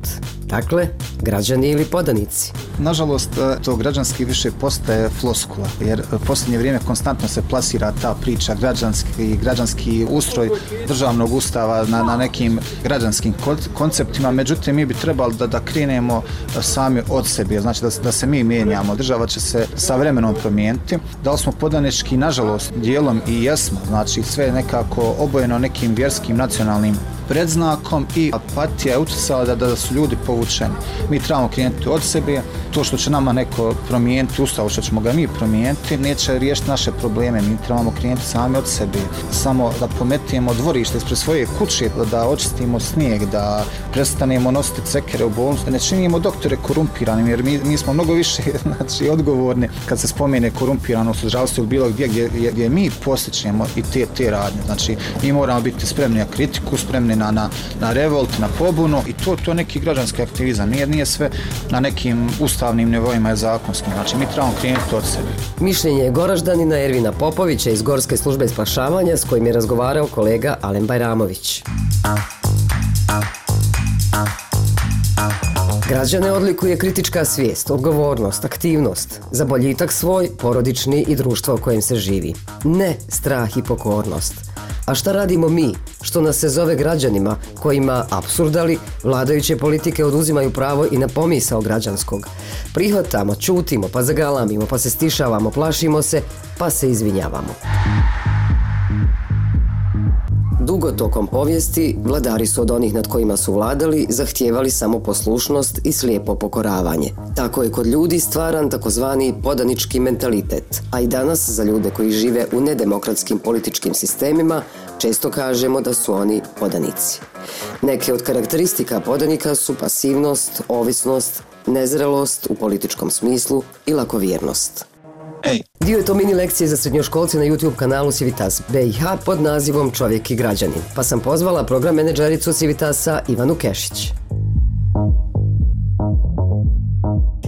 Dakle, građani ili podanici. Nažalost, to građanski više postaje floskula, jer u posljednje vrijeme konstantno se plasira ta priča građanski, građanski ustroj državnog ustava na, na nekim građanskim konceptima. Međutim, mi bi trebali da, da krenemo sami od sebe, znači da, da se mi mijenjamo. Država će se sa vremenom promijeniti. Da li smo podanički, nažalost, dijelom i jesmo, znači sve nekako obojeno nekim vjerskim, nacionalnim predznakom i apatija je utjecala da, da su ljudi povučeni. Mi trebamo krenuti od sebe, to što će nama neko promijeniti ustav, što ćemo ga mi promijeniti, neće riješiti naše probleme, mi trebamo krenuti sami od sebe. Samo da pometimo dvorište ispred svoje kuće, da, da očistimo snijeg, da prestanemo nositi cekere u bolnicu, da ne činimo doktore korumpiranim, jer mi, mi smo mnogo više znači, odgovorni kad se spomene korumpiranost u zdravstvu ili bilo gdje, gdje, gdje, gdje mi posjećujemo i te, te radnje. Znači, mi moramo biti spremni na kritiku, spremni na, na, na revolt, na pobunu i to, to neki građanski aktivizam. Nije, nije sve na nekim ustavnim nivoima je zakonskim. Znači, mi trebamo krenuti od sebe. Mišljenje je Goraždanina Ervina Popovića iz Gorske službe spašavanja s kojim je razgovarao kolega Alen Bajramović. Građane odlikuje kritička svijest, odgovornost, aktivnost, za boljitak svoj, porodični i društvo u kojem se živi. Ne strah i pokornost. A šta radimo mi, što nas se zove građanima, kojima apsurdali vladajuće politike oduzimaju pravo i na pomisao građanskog? Prihvatamo, čutimo, pa zagalamimo, pa se stišavamo, plašimo se, pa se izvinjavamo. Dugo tokom povijesti vladari su od onih nad kojima su vladali zahtijevali samo poslušnost i slijepo pokoravanje. Tako je kod ljudi stvaran takozvani podanički mentalitet, a i danas za ljude koji žive u nedemokratskim političkim sistemima Često kažemo da su oni podanici. Neke od karakteristika podanika su pasivnost, ovisnost, nezrelost u političkom smislu i lakovjernost. Dio je to mini lekcije za srednjoškolce na YouTube kanalu Civitas B i H pod nazivom Čovjek i građanin, pa sam pozvala program menadžericu Civitasa Ivanu Kešić.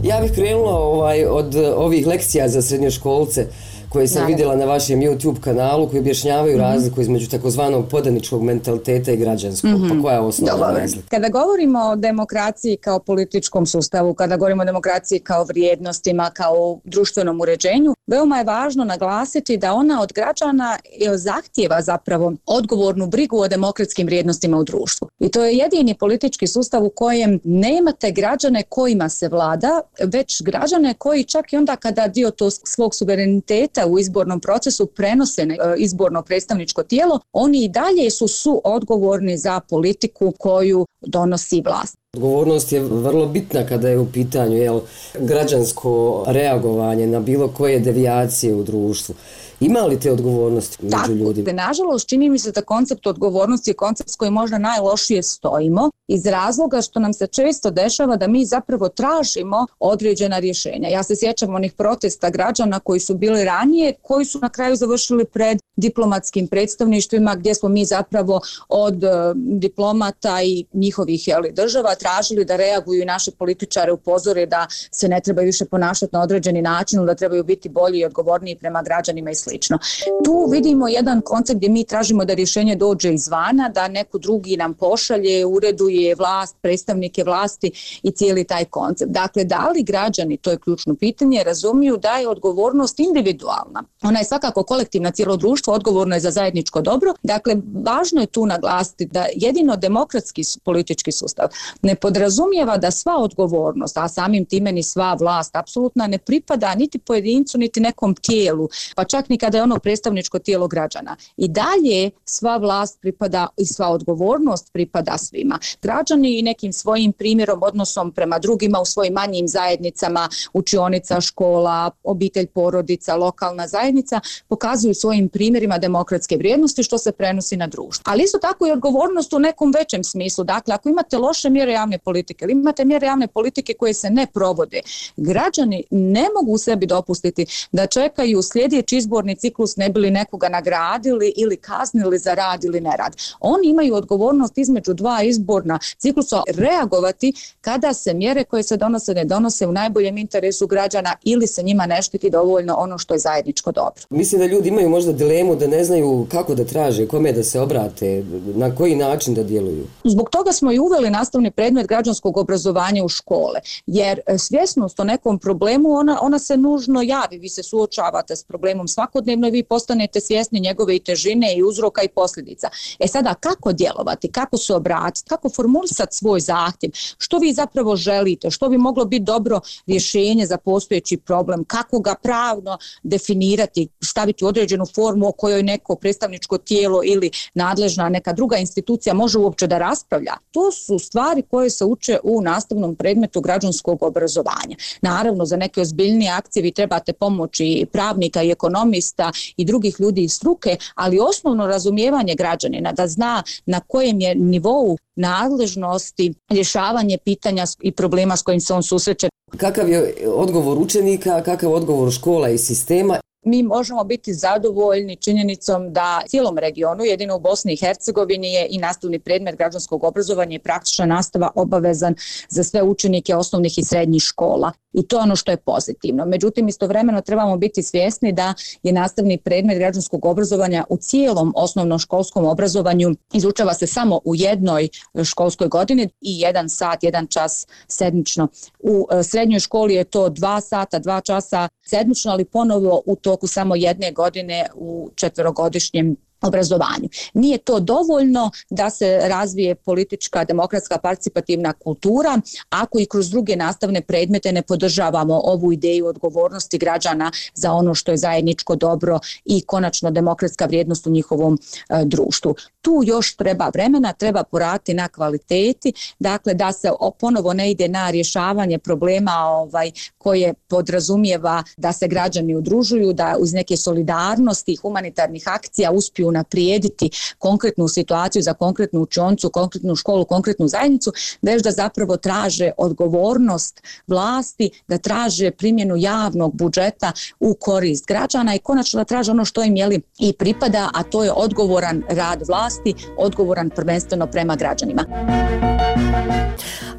Ja bih krenula ovaj, od ovih lekcija za srednjoškolce koje sam Naravno. vidjela na vašem YouTube kanalu, koji objašnjavaju mm-hmm. razliku između takozvanog podaničkog mentaliteta i građanskog. Mm-hmm. Pa koja je osnovna razlika? Kada govorimo o demokraciji kao političkom sustavu, kada govorimo o demokraciji kao vrijednostima, kao društvenom uređenju, veoma je važno naglasiti da ona od građana zahtijeva zapravo odgovornu brigu o demokratskim vrijednostima u društvu. I to je jedini politički sustav u kojem nemate građane kojima se vlada, već građane koji čak i onda kada dio to svog suvereniteta u izbornom procesu prenose na izborno predstavničko tijelo, oni i dalje su suodgovorni za politiku koju donosi vlast. Odgovornost je vrlo bitna kada je u pitanju jel, građansko reagovanje na bilo koje devijacije u društvu. Ima li te odgovornosti među Tako, ljudima? Tako, nažalost, čini mi se da koncept odgovornosti je koncept s kojim možda najlošije stojimo iz razloga što nam se često dešava da mi zapravo tražimo određena rješenja. Ja se sjećam onih protesta građana koji su bili ranije, koji su na kraju završili pred diplomatskim predstavništvima gdje smo mi zapravo od uh, diplomata i njihovih jeli, država tražili da reaguju i naše političare upozore da se ne trebaju više ponašati na određeni način, da trebaju biti bolji i odgovorniji prema građanima i slično. Tu vidimo jedan koncept gdje mi tražimo da rješenje dođe izvana, da neko drugi nam pošalje, ureduje vlast, predstavnike vlasti i cijeli taj koncept. Dakle, da li građani, to je ključno pitanje, razumiju da je odgovornost individualna. Ona je svakako kolektivna, cijelo društvo odgovorno je za zajedničko dobro. Dakle, važno je tu naglasiti da jedino demokratski politički sustav ne podrazumijeva da sva odgovornost, a samim time ni sva vlast apsolutno ne pripada niti pojedincu, niti nekom tijelu, pa čak ni kada je ono predstavničko tijelo građana. I dalje sva vlast pripada i sva odgovornost pripada svima. Građani i nekim svojim primjerom, odnosom prema drugima u svojim manjim zajednicama, učionica, škola, obitelj, porodica, lokalna zajednica, pokazuju svojim primjerima demokratske vrijednosti što se prenosi na društvo. Ali isto tako i odgovornost u nekom većem smislu. Dakle, ako imate loše mjere javne politike ili imate mjere javne politike koje se ne provode, građani ne mogu sebi dopustiti da čekaju sljedeći izborni ciklus ne bili nekoga nagradili ili kaznili za rad ili nerad. Oni imaju odgovornost između dva izborna ciklusa reagovati kada se mjere koje se donose ne donose u najboljem interesu građana ili se njima ne štiti dovoljno ono što je zajedničko dobro. Mislim da ljudi imaju možda dilemu da ne znaju kako da traže, kome da se obrate, na koji način da djeluju. Zbog toga smo i uveli nastavni predmet građanskog obrazovanja u škole, jer svjesnost o nekom problemu ona, ona se nužno javi, vi se suočavate s problemom svakodnevno i vi postanete svjesni njegove i težine i uzroka i posljedica. E sada, kako djelovati, kako se obratiti, kako formulisati svoj zahtjev, što vi zapravo želite, što bi moglo biti dobro rješenje za postojeći problem, kako ga pravno definirati, staviti u određenu formu o kojoj neko predstavničko tijelo ili nadležna neka druga institucija može uopće da raspravlja. To su stvari koje se uče u nastavnom predmetu građanskog obrazovanja. Naravno, za neke ozbiljnije akcije vi trebate pomoći pravnika i ekonomista i drugih ljudi iz struke, ali osnovno razumijevanje građanina da zna na kojem je nivou nadležnosti rješavanje pitanja i problema s kojim se on susreće. Kakav je odgovor učenika, kakav je odgovor škola i sistema? Mi možemo biti zadovoljni činjenicom da cijelom regionu, jedino u Bosni i Hercegovini, je i nastavni predmet građanskog obrazovanja i praktična nastava obavezan za sve učenike osnovnih i srednjih škola. I to je ono što je pozitivno. Međutim, istovremeno trebamo biti svjesni da je nastavni predmet građanskog obrazovanja u cijelom osnovnoškolskom obrazovanju izučava se samo u jednoj školskoj godini i jedan sat, jedan čas sedmično. U srednjoj školi je to dva sata, dva časa sedmično, ali ponovo u toku samo jedne godine u četverogodišnjem obrazovanju. Nije to dovoljno da se razvije politička, demokratska, participativna kultura ako i kroz druge nastavne predmete ne podržavamo ovu ideju odgovornosti građana za ono što je zajedničko dobro i konačno demokratska vrijednost u njihovom e, društvu. Tu još treba vremena, treba poraditi na kvaliteti, dakle da se ponovo ne ide na rješavanje problema ovaj, koje podrazumijeva da se građani udružuju, da uz neke solidarnosti i humanitarnih akcija uspiju unaprijediti konkretnu situaciju za konkretnu učioncu, konkretnu školu, konkretnu zajednicu, već da zapravo traže odgovornost vlasti, da traže primjenu javnog budžeta u korist građana i konačno da traže ono što im jeli i pripada, a to je odgovoran rad vlasti, odgovoran prvenstveno prema građanima.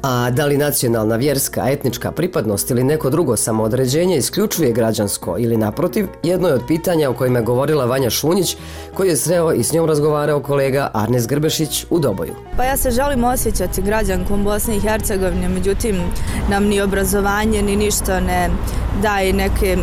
A da li nacionalna, vjerska, etnička pripadnost ili neko drugo samoodređenje isključuje građansko ili naprotiv, jedno je od pitanja o kojima je govorila Vanja Šunjić, koji je sreo i s njom razgovarao kolega Arnes Grbešić u Doboju. Pa ja se želim osjećati građankom Bosne i Hercegovine, međutim nam ni obrazovanje ni ništa ne daje neke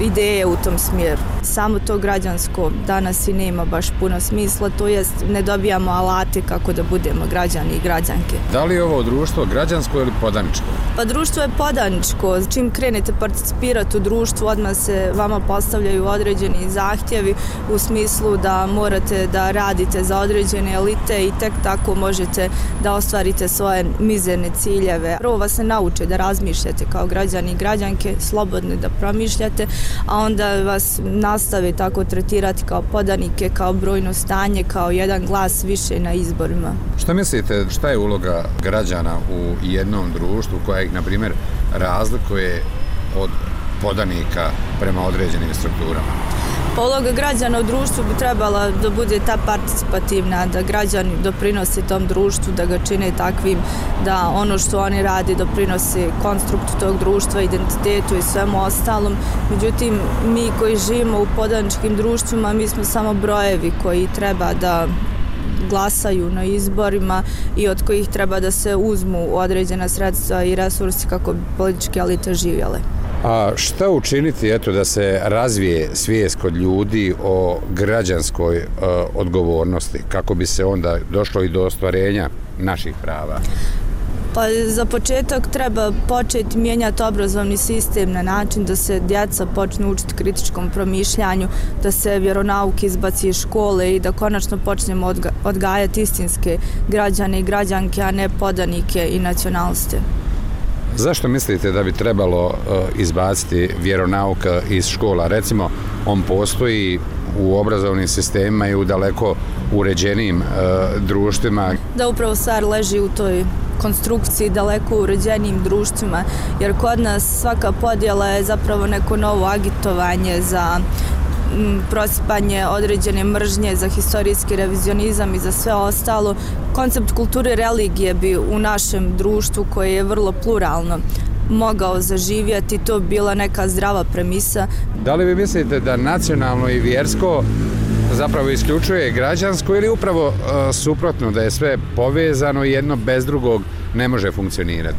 ideje u tom smjeru. Samo to građansko danas i nema baš puno smisla, to jest ne dobijamo alate kako da budemo građani i građanke. Da li je ovo društvo građansko ili podaničko? Pa društvo je podaničko. Čim krenete participirati u društvu, odmah se vama postavljaju određeni zahtjevi u smislu da morate da radite za određene elite i tek tako možete da ostvarite svoje mizerne ciljeve. Prvo vas se nauče da razmišljate kao građani i građanke, slobodni da promišljate, a onda vas nastave tako tretirati kao podanike, kao brojno stanje, kao jedan glas više na izborima. Što mislite, šta je uloga građana u jednom društvu koja ih, na primjer, razlikuje od podanika prema određenim strukturama? Uloga građana u društvu bi trebala da bude ta participativna, da građani doprinose tom društvu, da ga čine takvim, da ono što oni radi doprinose konstruktu tog društva, identitetu i svemu ostalom. Međutim, mi koji živimo u podaničkim društvima, mi smo samo brojevi koji treba da glasaju na izborima i od kojih treba da se uzmu određena sredstva i resursi kako bi političke elite živjele. A šta učiniti, eto, da se razvije svijest kod ljudi o građanskoj e, odgovornosti, kako bi se onda došlo i do ostvarenja naših prava? Pa za početak treba početi mijenjati obrazovni sistem na način da se djeca počnu učiti kritičkom promišljanju, da se vjeronauk izbaci iz škole i da konačno počnemo odga- odgajati istinske građane i građanke, a ne podanike i nacionaliste. Zašto mislite da bi trebalo uh, izbaciti vjeronauk iz škola? Recimo, on postoji u obrazovnim sistemima i u daleko uređenijim uh, društvima. Da, upravo stvar leži u toj konstrukciji daleko uređenijim društvima, jer kod nas svaka podjela je zapravo neko novo agitovanje za prosipanje određene mržnje, za historijski revizionizam i za sve ostalo. Koncept kulture religije bi u našem društvu, koje je vrlo pluralno, mogao zaživjeti, to bila neka zdrava premisa. Da li vi mislite da nacionalno i vjersko zapravo isključuje građansko ili upravo uh, suprotno, da je sve povezano i jedno bez drugog ne može funkcionirati?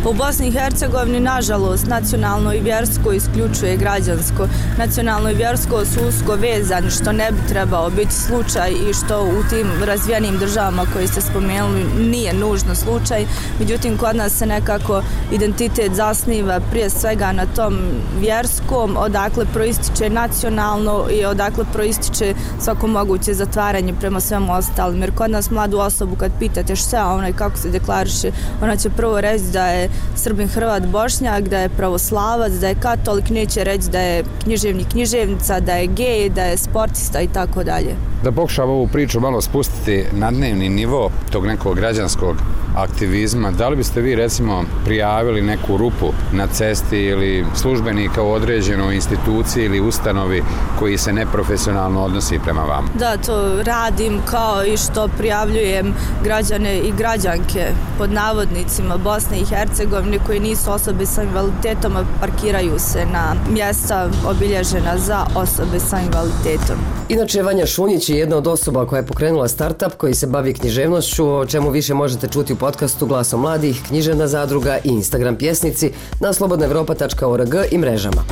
U Bosni i Hercegovini, nažalost, nacionalno i vjersko isključuje građansko. Nacionalno i vjersko su usko vezani, što ne bi trebao biti slučaj i što u tim razvijenim državama koji ste spomenuli nije nužno slučaj. Međutim, kod nas se nekako identitet zasniva prije svega na tom vjerskom, odakle proističe nacionalno i odakle proističe svako moguće zatvaranje prema svemu ostalim. Jer kod nas mladu osobu kad pitate šta ona i kako se deklariše, ona će prvo reći da je Srbin, Hrvat, Bošnjak, da je pravoslavac, da je katolik, neće reći da je književnik, književnica, da je gej, da je sportista i tako dalje. Da pokušam ovu priču malo spustiti na dnevni nivo tog nekog građanskog aktivizma, da li biste vi recimo prijavili neku rupu na cesti ili službenika u određenoj instituciji ili ustanovi koji se neprofesionalno odnosi prema vama? Da, to radim kao i što prijavljujem građane i građanke pod navodnicima Bosne i Hercegovine koji nisu osobe sa invaliditetom, a parkiraju se na mjesta obilježena za osobe sa invaliditetom. Inače, Vanja Šunjić je jedna od osoba koja je pokrenula startup koji se bavi književnošću, o čemu više možete čuti u podcastu Glasom mladih, Književna zadruga i Instagram pjesnici na slobodna evropa tačka org i mrežama.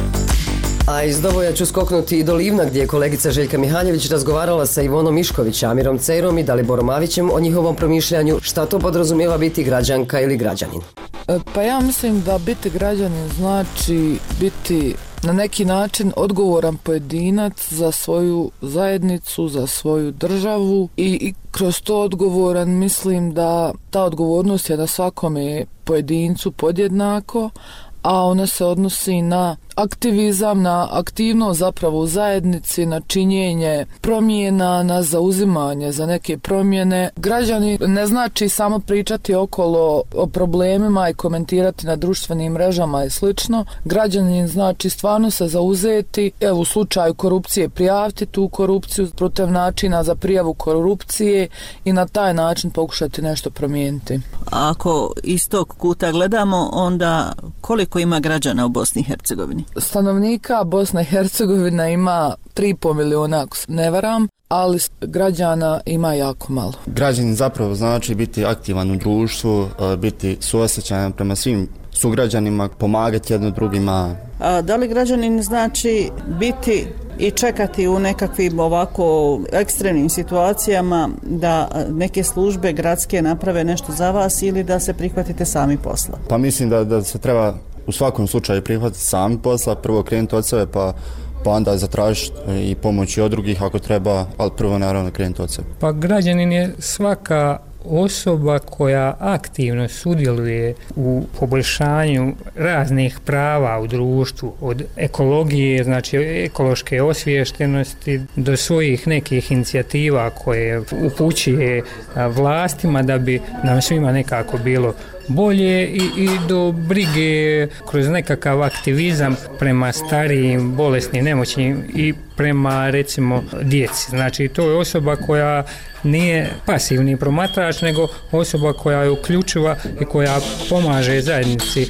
A iz Doboja ću skoknuti i do Livna, gdje je kolegica Željka Mihaljević razgovarala sa Ivonom Mišković, Amirom Cejrom i Daliborom Avićem o njihovom promišljanju šta to podrazumijeva biti građanka ili građanin. Pa ja mislim da biti građanin znači biti na neki način odgovoran pojedinac za svoju zajednicu, za svoju državu i, i kroz to odgovoran mislim da ta odgovornost je na svakome pojedincu podjednako, a ona se odnosi na aktivizam, na aktivnost zapravo u zajednici, na činjenje promjena, na zauzimanje za neke promjene. Građani ne znači samo pričati okolo o problemima i komentirati na društvenim mrežama i slično. Građanin znači stvarno se zauzeti, evo u slučaju korupcije prijaviti tu korupciju protiv načina za prijavu korupcije i na taj način pokušati nešto promijeniti. Ako iz tog kuta gledamo, onda koliko ima građana u Bosni i Hercegovini? Stanovnika Bosna i Hercegovina ima tri i pol miliona, ako se ne varam, ali građana ima jako malo. Građanin zapravo znači biti aktivan u društvu, biti suosjećajan prema svim sugrađanima, pomagati jedno drugima. A da li građanin znači biti i čekati u nekakvim ovako ekstremnim situacijama da neke službe gradske naprave nešto za vas ili da se prihvatite sami posla? Pa mislim da, da se treba u svakom slučaju prihvatiti sami posla, prvo krenuti od sebe pa, pa onda zatražiti i pomoći od drugih ako treba, ali prvo naravno krenuti od sebe. Pa građanin je svaka osoba koja aktivno sudjeluje u poboljšanju raznih prava u društvu, od ekologije, znači ekološke osviještenosti, do svojih nekih inicijativa koje upućuje vlastima da bi nam svima nekako bilo bolje i, i do brige kroz nekakav aktivizam prema starijim, bolesnim, nemoćnim i prema recimo djeci. Znači to je osoba koja nije pasivni promatrač, nego osoba koja je uključiva i koja pomaže zajednici.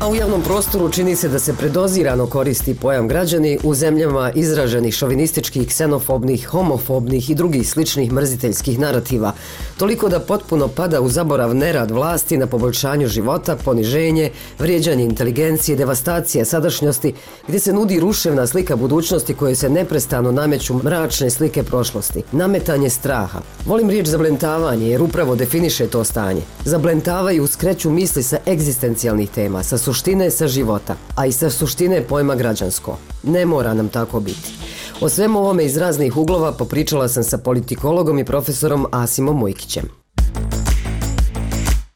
A u javnom prostoru čini se da se predozirano koristi pojam građani u zemljama izraženih šovinističkih, ksenofobnih, homofobnih i drugih sličnih mrziteljskih narativa, toliko da potpuno pada u zaborav nerad vlasti na poboljšanju života, poniženje, vrijeđanje inteligencije, devastacija sadašnjosti, gdje se nudi ruševna slika budućnosti koje se neprestano nameću mračne slike prošlosti, nametanje straha. Volim riječ zablentavanje jer upravo definiše to stanje. Zablentavaju, skreću misli sa egzistencijalnih tema, sa suštine sa života, a i sa suštine pojma građansko. Ne mora nam tako biti. O svemu ovome iz raznih uglova popričala sam sa politikologom i profesorom Asimom Mujkićem.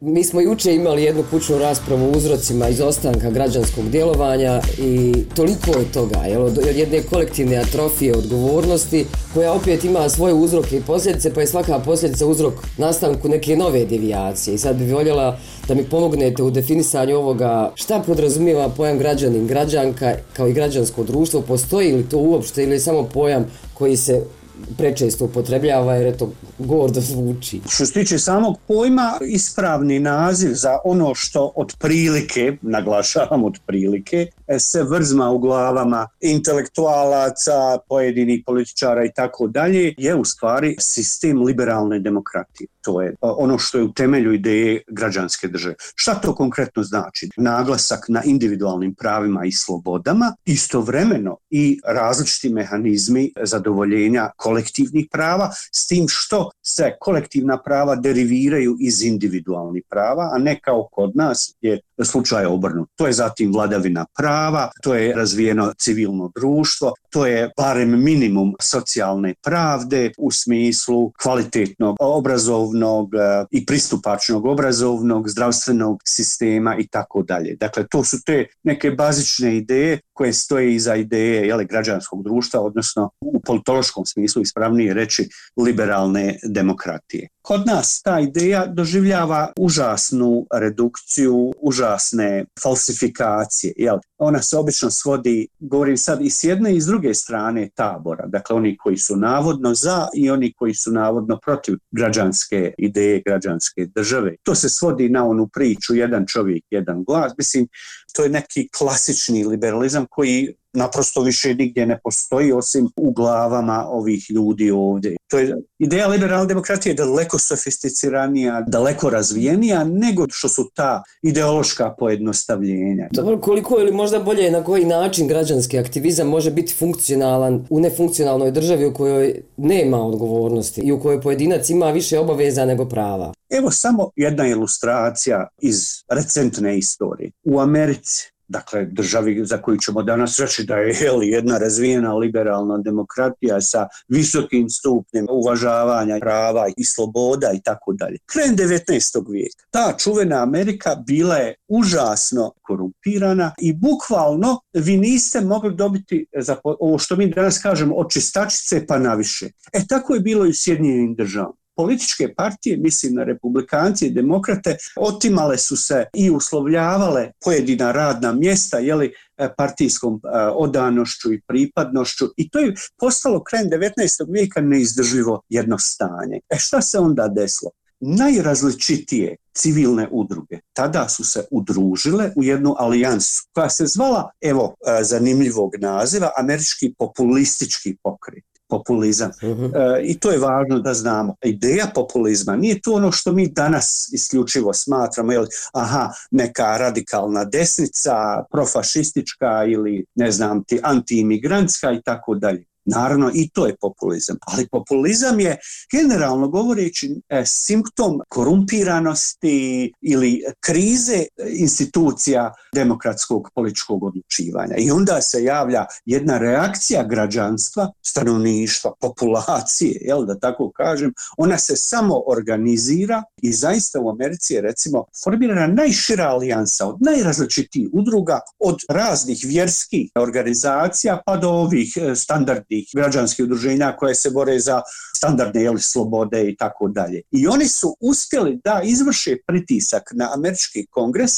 Mi smo juče imali jednu kućnu raspravu o uzrocima izostanka građanskog djelovanja i toliko je toga, jel, od jedne kolektivne atrofije odgovornosti koja opet ima svoje uzroke i posljedice, pa je svaka posljedica uzrok nastanku neke nove devijacije. I sad bih voljela da mi pomognete u definisanju ovoga šta podrazumijeva pojam građanin, građanka kao i građansko društvo, postoji li to uopšte ili je samo pojam koji se prečesto upotrebljava jer je to gordo zvuči. Što se tiče samog pojma, ispravni naziv za ono što otprilike, naglašavam otprilike, se vrzma u glavama intelektualaca, pojedinih političara i tako dalje, je u stvari sistem liberalne demokratije. To je ono što je u temelju ideje građanske države. Šta to konkretno znači? Naglasak na individualnim pravima i slobodama, istovremeno i različiti mehanizmi zadovoljenja kolektivnih prava, s tim što se kolektivna prava deriviraju iz individualnih prava, a ne kao kod nas je slučaj obrnut. To je zatim vladavina prava, to je razvijeno civilno društvo, to je barem minimum socijalne pravde u smislu kvalitetnog obrazovnog i pristupačnog obrazovnog, zdravstvenog sistema i tako dalje. Dakle, to su te neke bazične ideje koje stoje iza ideje jele, građanskog društva, odnosno u politološkom smislu ispravnije reći liberalne demokratije. Kod nas ta ideja doživljava užasnu redukciju, užasne falsifikacije. Jel? Ona se obično svodi, govorim sad, i s jedne i s druge strane tabora. Dakle, oni koji su navodno za i oni koji su navodno protiv građanske ideje, građanske države. To se svodi na onu priču jedan čovjek, jedan glas. Mislim, to je neki klasični liberalizam koji naprosto više nigdje ne postoji osim u glavama ovih ljudi ovdje. To je ideja liberalne demokratije daleko sofisticiranija, daleko razvijenija nego što su ta ideološka pojednostavljenja. Dobro, koliko ili možda bolje na koji način građanski aktivizam može biti funkcionalan u nefunkcionalnoj državi u kojoj nema odgovornosti i u kojoj pojedinac ima više obaveza nego prava? Evo samo jedna ilustracija iz recentne istorije. U Americi dakle državi za koju ćemo danas reći da je jel, jedna razvijena liberalna demokratija sa visokim stupnjem uvažavanja prava i sloboda i tako dalje. Krajem devetnaestog vijeka ta čuvena Amerika bila je užasno korumpirana i bukvalno vi niste mogli dobiti za ovo što mi danas kažemo od čistačice pa naviše. E tako je bilo i u Sjedinjenim državama. Političke partije, mislim na republikanci i demokrate, otimale su se i uslovljavale pojedina radna mjesta jeli, partijskom odanošću i pripadnošću i to je postalo krajem devetnaestog vijeka neizdrživo jedno stanje. E šta se onda desilo? Najrazličitije civilne udruge tada su se udružile u jednu alijansu koja se zvala, evo zanimljivog naziva, Američki populistički pokret. Populizam. Uh-huh. E, I to je važno da znamo. Ideja populizma nije to ono što mi danas isključivo smatramo, jel, aha, neka radikalna desnica, profašistička ili ne znam ti antiimigrantska i tako dalje. Naravno i to je populizam, ali populizam je generalno govoreći e, simptom korumpiranosti ili krize institucija demokratskog političkog odlučivanja. I onda se javlja jedna reakcija građanstva, stanovništva, populacije, jel, da tako kažem, ona se samo organizira i zaista u Americi je recimo formirana najšira alijansa od najrazličitijih udruga, od raznih vjerskih organizacija pa do ovih standardnih građanskih udruženja koje se bore za standardne jeli, slobode i tako dalje. I oni su uspjeli da izvrše pritisak na američki kongres,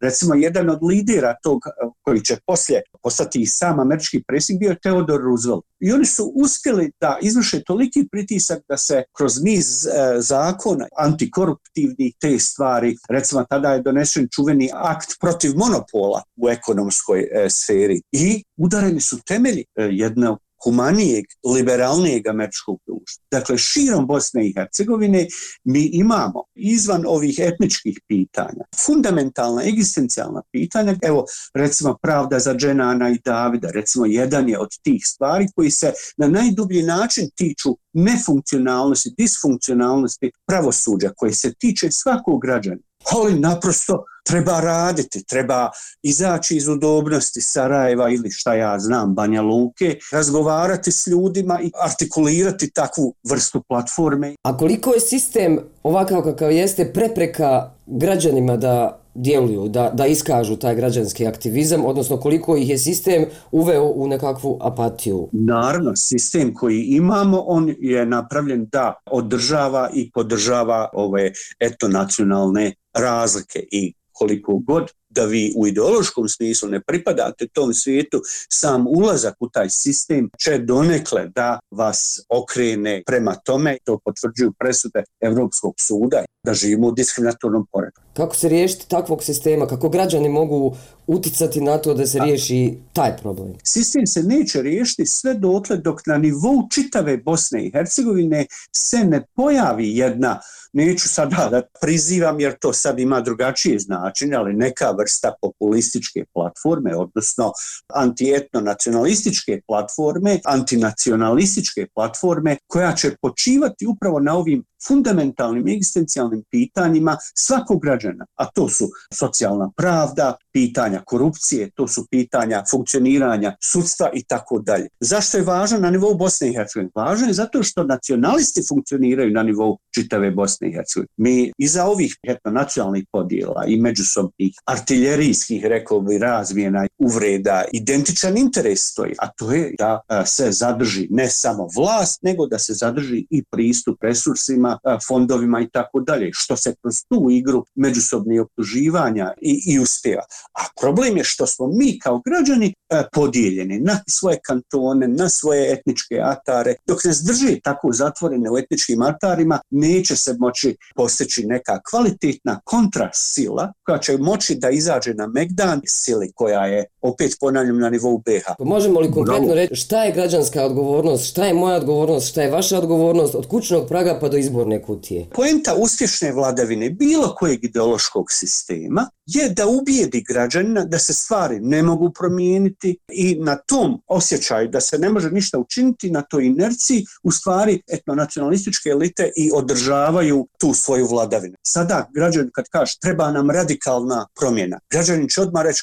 recimo jedan od lidera tog koji će poslije postati i sam američki predsjednik bio je Theodore Roosevelt. I oni su uspjeli da izvrše toliki pritisak da se kroz niz e, zakona antikoruptivnih te stvari, recimo tada je donesen čuveni akt protiv monopola u ekonomskoj e, sferi i udareni su temelji e, jednog humanijeg, liberalnijeg američkog društva. Dakle, širom Bosne i Hercegovine mi imamo izvan ovih etničkih pitanja, fundamentalna, egzistencijalna pitanja, evo recimo pravda za Dženana i Davida, recimo jedan je od tih stvari koji se na najdublji način tiču nefunkcionalnosti, disfunkcionalnosti pravosuđa, koji se tiče svakog građana. Ali naprosto treba raditi, treba izaći iz udobnosti Sarajeva ili šta ja znam, Banja Luke, razgovarati s ljudima i artikulirati takvu vrstu platforme. A koliko je sistem ovakav kakav jeste prepreka građanima da djeluju, da, da iskažu taj građanski aktivizam, odnosno koliko ih je sistem uveo u nekakvu apatiju? Naravno, sistem koji imamo, on je napravljen da održava i podržava ove etnonacionalne razlike i koliko god da vi u ideološkom smislu ne pripadate tom svijetu, sam ulazak u taj sistem će donekle da vas okrene prema tome, to potvrđuju presude Evropskog suda, da živimo u diskriminatornom poretku. Kako se riješiti takvog sistema? Kako građani mogu uticati na to da se riješi taj problem? Sistem se neće riješiti sve dotle dok na nivou čitave Bosne i Hercegovine se ne pojavi jedna, neću sada da prizivam jer to sad ima drugačije značenje, ali neka vrsta populističke platforme, odnosno antietno-nacionalističke platforme, antinacionalističke platforme koja će počivati upravo na ovim fundamentalnim egzistencijalnim pitanjima svakog građana, a to su socijalna pravda, pitanja korupcije, to su pitanja funkcioniranja sudstva i tako dalje. Zašto je važno na nivou Bosne i Hercegovine? Važno je zato što nacionalisti funkcioniraju na nivou čitave Bosne i Hercegovine. Mi iza ovih etnonacionalnih podjela i međusobnih artiljerijskih, rekao bi, razmjena uvreda, identičan interes stoji, a to je da se zadrži ne samo vlast, nego da se zadrži i pristup resursima, fondovima i tako dalje, što se kroz tu igru međusobnih optuživanja i, i uspjeva. A problem je što smo mi kao građani e, podijeljeni na svoje kantone, na svoje etničke atare. Dok nas drži tako zatvorene u etničkim atarima, neće se moći postići neka kvalitetna kontrasila koja će moći da izađe na megdan sili koja je, opet ponavljam, na nivou B iH. Možemo li konkretno reći šta je građanska odgovornost, šta je moja odgovornost, šta je vaša odgovornost od kućnog praga pa do izborne kutije? Poenta uspješne vladavine bilo kojeg ideološkog sistema je da ubijedi građanina da se stvari ne mogu promijeniti i na tom osjećaju da se ne može ništa učiniti, na toj inerciji u stvari etnonacionalističke elite i održavaju tu svoju vladavinu. Sada građanin kad kaže treba nam radikalna promjena, građanin će odmah reći,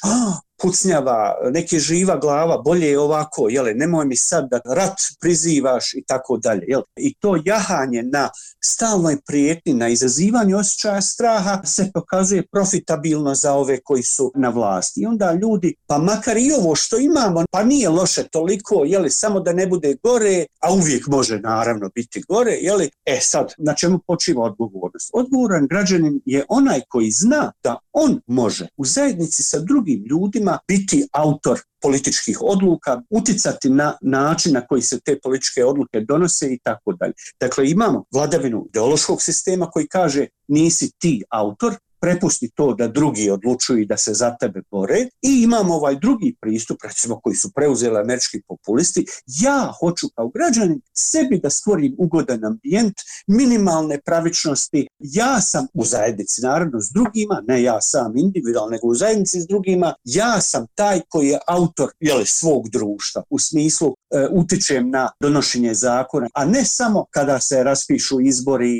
pucnjava, neki živa glava, bolje je ovako, jele, nemoj mi sad da rat prizivaš i tako dalje. Jel? I to jahanje na stalnoj prijetnji, na izazivanju osjećaja straha se pokazuje profitabilno za ove koji su na vlasti. I onda ljudi, pa makar i ovo što imamo, pa nije loše toliko, jeli, samo da ne bude gore, a uvijek može naravno biti gore, jeli, e sad, na čemu počiva odgovornost? Odgovoran građanin je onaj koji zna da on može u zajednici sa drugim ljudima biti autor političkih odluka, uticati na način na koji se te političke odluke donose i tako dalje. Dakle, imamo vladavinu ideološkog sistema koji kaže nisi ti autor, prepusti to da drugi odlučuju i da se za tebe bore, i imamo ovaj drugi pristup, recimo koji su preuzeli američki populisti, ja hoću kao građanin sebi da stvorim ugodan ambijent, minimalne pravičnosti, ja sam u zajednici naravno s drugima, ne ja sam individualno, nego u zajednici s drugima, ja sam taj koji je autor, jeli, svog društva, u smislu e, utičem na donošenje zakona, a ne samo kada se raspišu izbori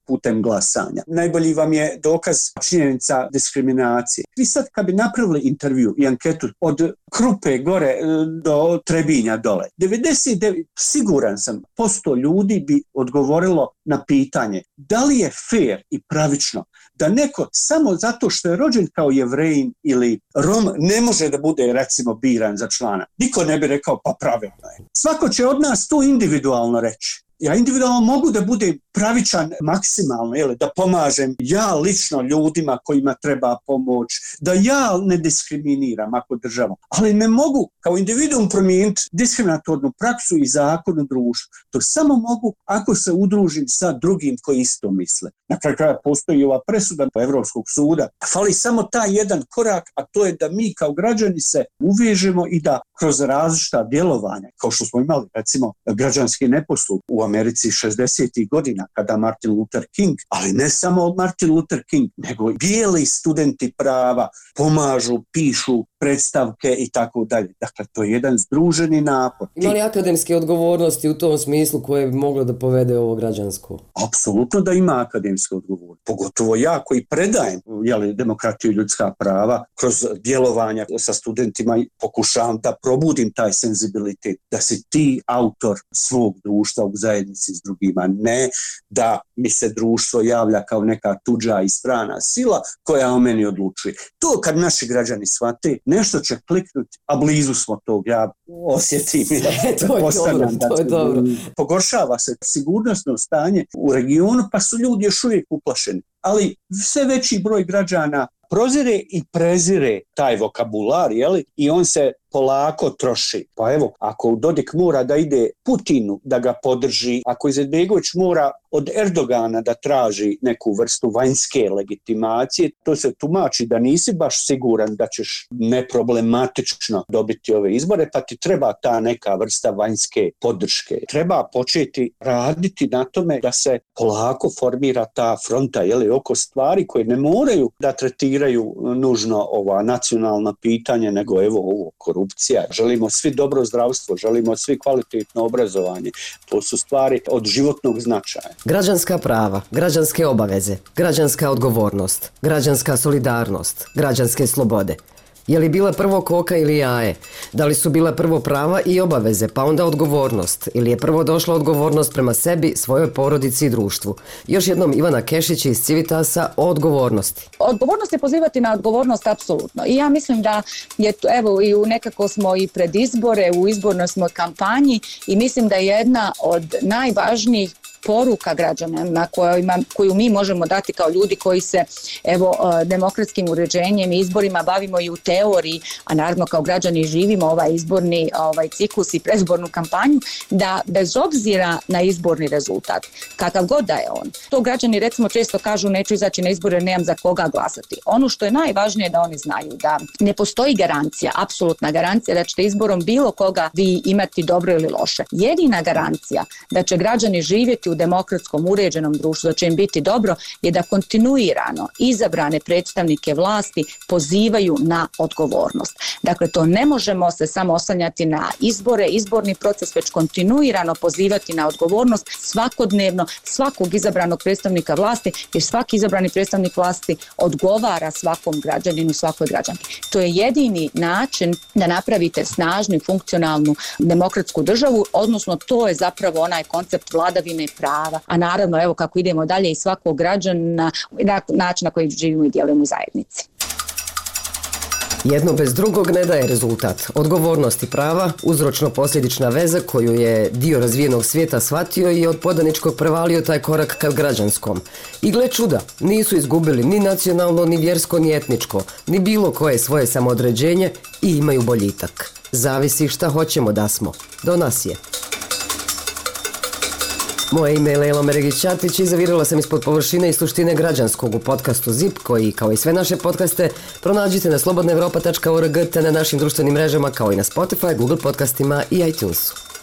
putem glasanja. Najbolji vam je dokaz činjenica diskriminacije. Vi sad kad bi napravili intervju i anketu od Krupe gore do Trebinja dole, devedeset devet siguran sam posto ljudi bi odgovorilo na pitanje da li je fair i pravično da neko samo zato što je rođen kao Jevrejin ili Rom ne može da bude recimo biran za člana. Niko ne bi rekao pa pravilno je. Svako će od nas to individualno reći. Ja individualno mogu da budem pravičan maksimalno, jel, da pomažem ja lično ljudima kojima treba pomoć, da ja ne diskriminiram ako država, ali ne mogu kao individuum promijeniti diskriminatornu praksu i zakon u društvu. To samo mogu ako se udružim sa drugim koji isto misle. Na kraju kraja postoji ova presuda Evropskog suda. Fali samo taj jedan korak, a to je da mi kao građani se uvežemo i da kroz različita djelovanja, kao što smo imali recimo građanski neposluh u Americi šezdesetih godina kada Martin Luther King, ali ne samo Martin Luther King, nego bijeli studenti prava pomažu, pišu predstavke i tako dalje. Dakle, to je jedan združeni napor. Ima li akademske odgovornosti u tom smislu koje bi moglo da povede ovo građansko? Apsolutno da ima akademske odgovornosti. Pogotovo ja koji predajem, jeli, demokratiju i ljudska prava kroz djelovanja sa studentima i pokušavam da probudim taj senzibilitet, da si ti autor svog društva u zajednici s drugima, ne da mi se društvo javlja kao neka tuđa i strana sila koja o meni odlučuje. To kad naši građani shvate, nešto će kliknuti, a blizu smo tog, ja osjetim. Ja, to je dobro, to je dobro. Pogoršava se sigurnosno stanje u regionu, pa su ljudi još uvijek uplašeni. Ali sve veći broj građana prozire i prezire taj vokabular, jeli? I on se polako troši. Pa evo, ako Dodik mora da ide Putinu da ga podrži, ako Izetbegović mora od Erdogana da traži neku vrstu vanjske legitimacije, to se tumači da nisi baš siguran da ćeš neproblematično dobiti ove izbore, pa ti treba ta neka vrsta vanjske podrške. Treba početi raditi na tome da se polako formira ta fronta, jeli, oko stvari koje ne moraju da tretiraju nužno ova nacionalna pitanja, nego evo ovo korupcija. Želimo svi dobro zdravstvo, želimo svi kvalitetno obrazovanje. To su stvari od životnog značaja. Građanska prava, građanske obaveze, građanska odgovornost, građanska solidarnost, građanske slobode. Je li bila prvo koka ili jaje? Da li su bila prvo prava i obaveze, pa onda odgovornost? Ili je prvo došla odgovornost prema sebi, svojoj porodici i društvu? Još jednom Ivana Kešić iz Civitasa o odgovornosti. Odgovornost je pozivati na odgovornost apsolutno. I ja mislim da je to, evo, i u nekako smo i pred izbore, u izbornoj smo kampanji i mislim da je jedna od najvažnijih poruka građana na kojima, koju mi možemo dati kao ljudi koji se evo demokratskim uređenjem i izborima bavimo i u teoriji, a naravno kao građani živimo ovaj izborni ovaj ciklus i predizbornu kampanju, da bez obzira na izborni rezultat, kakav god da je on, to građani recimo često kažu neću izaći na izbore, nemam za koga glasati. Ono što je najvažnije da oni znaju da ne postoji garancija, apsolutna garancija da ćete izborom bilo koga vi imati dobro ili loše. Jedina garancija da će građani živjeti u u demokratskom uređenom društvu, da će im biti dobro, je da kontinuirano izabrane predstavnike vlasti pozivaju na odgovornost. Dakle, to ne možemo se samo oslanjati na izbore, izborni proces, već kontinuirano pozivati na odgovornost svakodnevno svakog izabranog predstavnika vlasti, jer svaki izabrani predstavnik vlasti odgovara svakom građaninu, svakoj građanki. To je jedini način da napravite snažnu i funkcionalnu demokratsku državu, odnosno to je zapravo onaj koncept vladavine prava, a naravno evo kako idemo dalje i svakog građana na način na koji živimo i djelujemo u zajednici. Jedno bez drugog ne daje rezultat. Odgovornost i prava, uzročno-posljedična veza koju je dio razvijenog svijeta shvatio i od podaničkog prevalio taj korak ka građanskom. I gle čuda, nisu izgubili ni nacionalno, ni vjersko, ni etničko, ni bilo koje svoje samoodređenje i imaju boljitak. Zavisi šta hoćemo da smo. Do nas je. Moje ime je Lejla Meregić-Ćatić i zavirila sam ispod površine i suštine građanskog u podcastu ZIP, koji, kao i sve naše podcaste, pronađite na slobodna evropa tačka org te na našim društvenim mrežama, kao i na Spotify, Google podcastima i iTunesu.